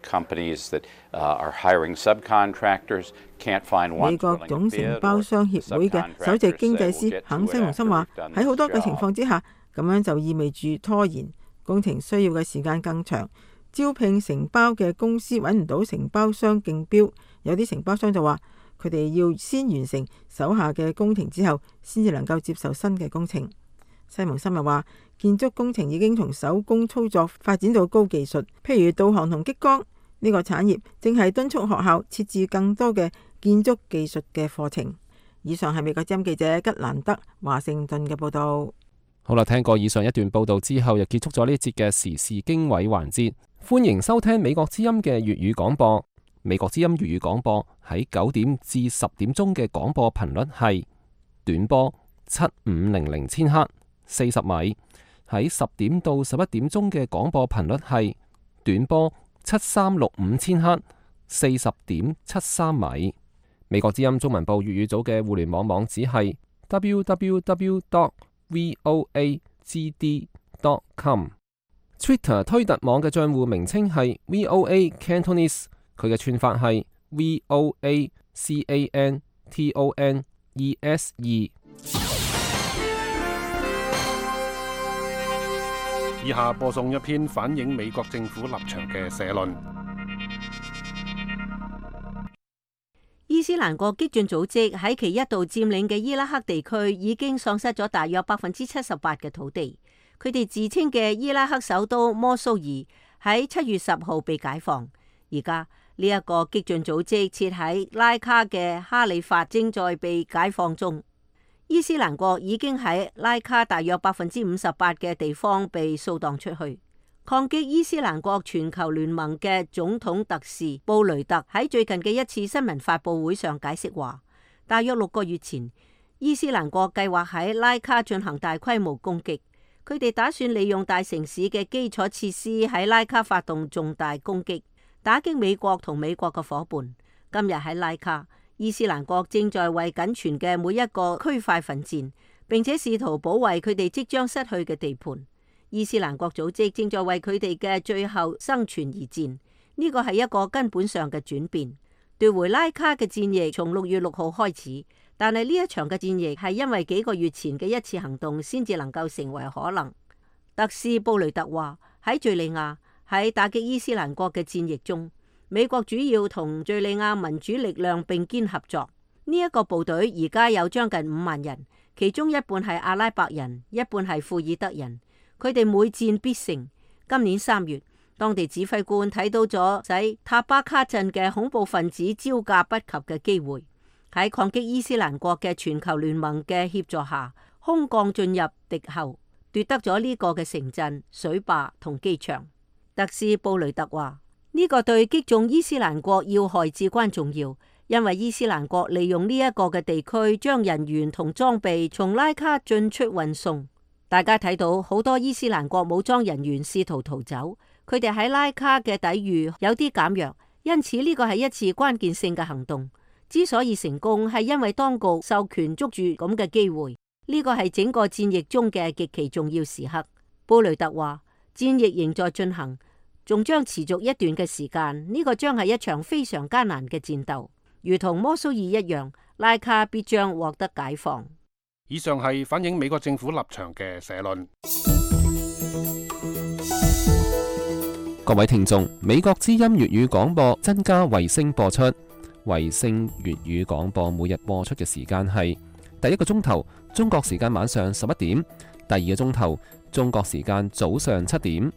companies that are hiring subcontractors can't find one. 美國總承包商協會嘅首席經濟師肯西蒙森話：喺好多嘅情況之下，咁樣就意味住拖延，工程需要嘅時間更長。招聘承包嘅公司揾唔到承包商競標，有啲承包商就話佢哋要先完成手下嘅工程之後，先至能夠接受新嘅工程。西蒙森又話，建築工程已經從手工操作發展到高技術，譬如導航同激光。呢個產業正係敦促學校設置更多嘅建築技術嘅課程。以上係美國之音記者吉蘭德華盛頓嘅報道。好啦，聽過以上一段報道之後，又結束咗呢節嘅時事經緯環節。歡迎收聽美國之音嘅粵語廣播。美國之音粵語廣播喺9點至10點鐘嘅廣播頻率係短波7500千赫， 40米。喺10點到11點鐘嘅廣播頻率係短波7365千赫，40.73米。美國之音中文部粵語組嘅互聯網網址係 www.voagd.com。Twitter 推特網嘅賬戶名稱係 VOA Cantonese， 佢嘅串法係 VOACANTONESE。以下播送一篇反映美國政府立場嘅社論。伊斯蘭國激進組織喺其一度佔領嘅伊拉克地區已經喪失咗大約78%嘅土地。佢哋自稱嘅伊拉克首都摩蘇爾喺7月10號被解放。而家呢一個激進組織設喺拉卡嘅哈里法正在被解放中。伊斯蘭國已經喺拉卡大約58%嘅地方被掃蕩出去。抗擊伊斯蘭國全球聯盟嘅總統特使布雷特喺最近嘅一次新聞發佈會上解釋話，大約6個月前，伊斯蘭國計劃喺拉卡進行大規模攻擊。佢哋打算利用大城市嘅基礎設施喺拉卡發動重大攻擊，打擊美國同美國嘅夥伴。今日喺拉卡，伊斯蘭國正在為僅存嘅每一個區塊奮戰，並且試圖保衛佢哋即將失去嘅地盤。伊斯蘭國組織正在為佢哋嘅最後生存而戰，呢個係一個根本上嘅轉變。奪回拉卡嘅戰役從6月6號開始。但係呢一場嘅戰役係因為幾個月前嘅一次行動先至能夠成為可能。特使布雷特話，喺敘利亞喺打擊伊斯蘭國嘅戰役中，美國主要同敘利亞民主力量並肩合作。呢一個部隊而家有將近5萬人，其中一半係阿拉伯人，一半係庫爾德人。佢哋每戰必勝。今年3月，當地指揮官睇到咗使塔巴卡鎮嘅恐怖分子招架不及嘅機會。喺抗擊伊斯蘭國嘅全球聯盟嘅協助下，空降進入敵後，奪得咗呢個嘅城鎮、水壩同機場。特使布雷特話：呢個對擊中伊斯蘭國要害至關重要，因為伊斯蘭國利用呢一個嘅地區將人員同裝備從拉卡進出運送。大家睇到好多伊斯蘭國武裝人員試圖逃走，佢哋喺拉卡嘅抵禦有啲減弱，因此呢個係一次關鍵性嘅行動。之所以成功，係因為當局授權捉住咁嘅機會，呢個係整個戰役中嘅極其重要時刻。布雷特話：戰役仍在進行，仲將持續一段嘅時間。呢個將係一場非常艱難嘅戰鬥，如同摩蘇爾一樣，拉卡必將獲得解放。以上係反映美國政府立場嘅社論。各位聽眾，美國之音粵語廣播增加衛星播出。衛星粵語廣播每日播出嘅時間係第一個鐘頭中國時間晚上11點，第二個鐘頭中國時間早上7點。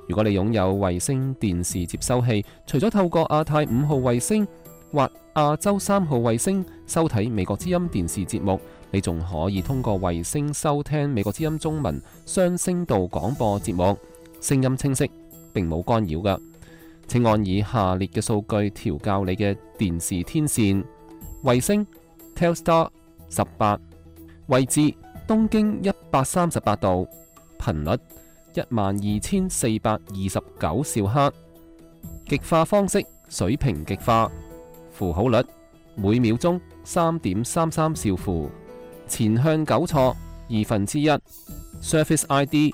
如果你擁有衛星電視接收器，除咗透過亞太5號衛星或亞洲3號衛星收睇美國之音電視節目，你仲可以通過衛星收聽美國之音中文雙聲道廣播節目，聲音清晰，並冇干擾㗎。請按以下列嘅數據調校你嘅電視天線：衛星 Telstar 18，位置東經138度，頻率12429兆赫，極化方式水平極化，符號率每秒鐘3.33兆符，前向糾錯1/2， Surface ID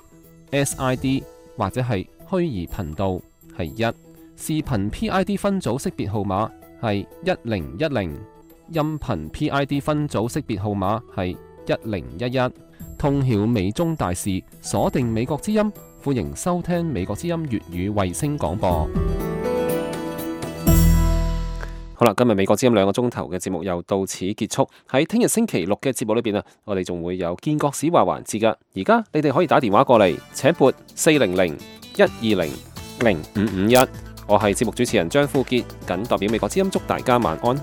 SID 或者係虛擬頻道係1。視頻 PID 分組識別號碼係1010，音頻 PID 分組識別號碼係1011。通曉美中大事，鎖定美國之音，歡迎收聽美國之音粵語衛星廣播。好啦，今日美國之音2個鐘頭嘅節目又到此結束。喺聽日星期6嘅節目裏邊啊，我哋仲會有建國史話環節噶。而家你哋可以打電話過嚟，請撥400-120-0551。我係節目主持人張富傑，謹代表美國之音祝大家晚安。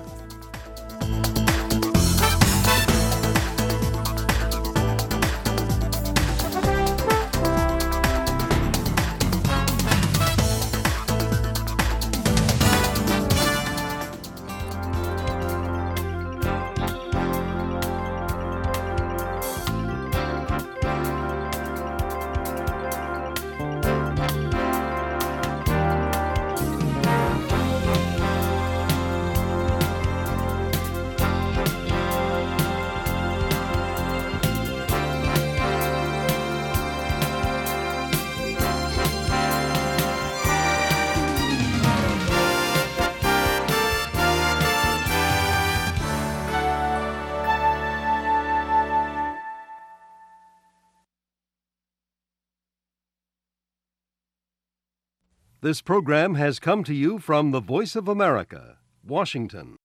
This program has come to you from the Voice of America, Washington.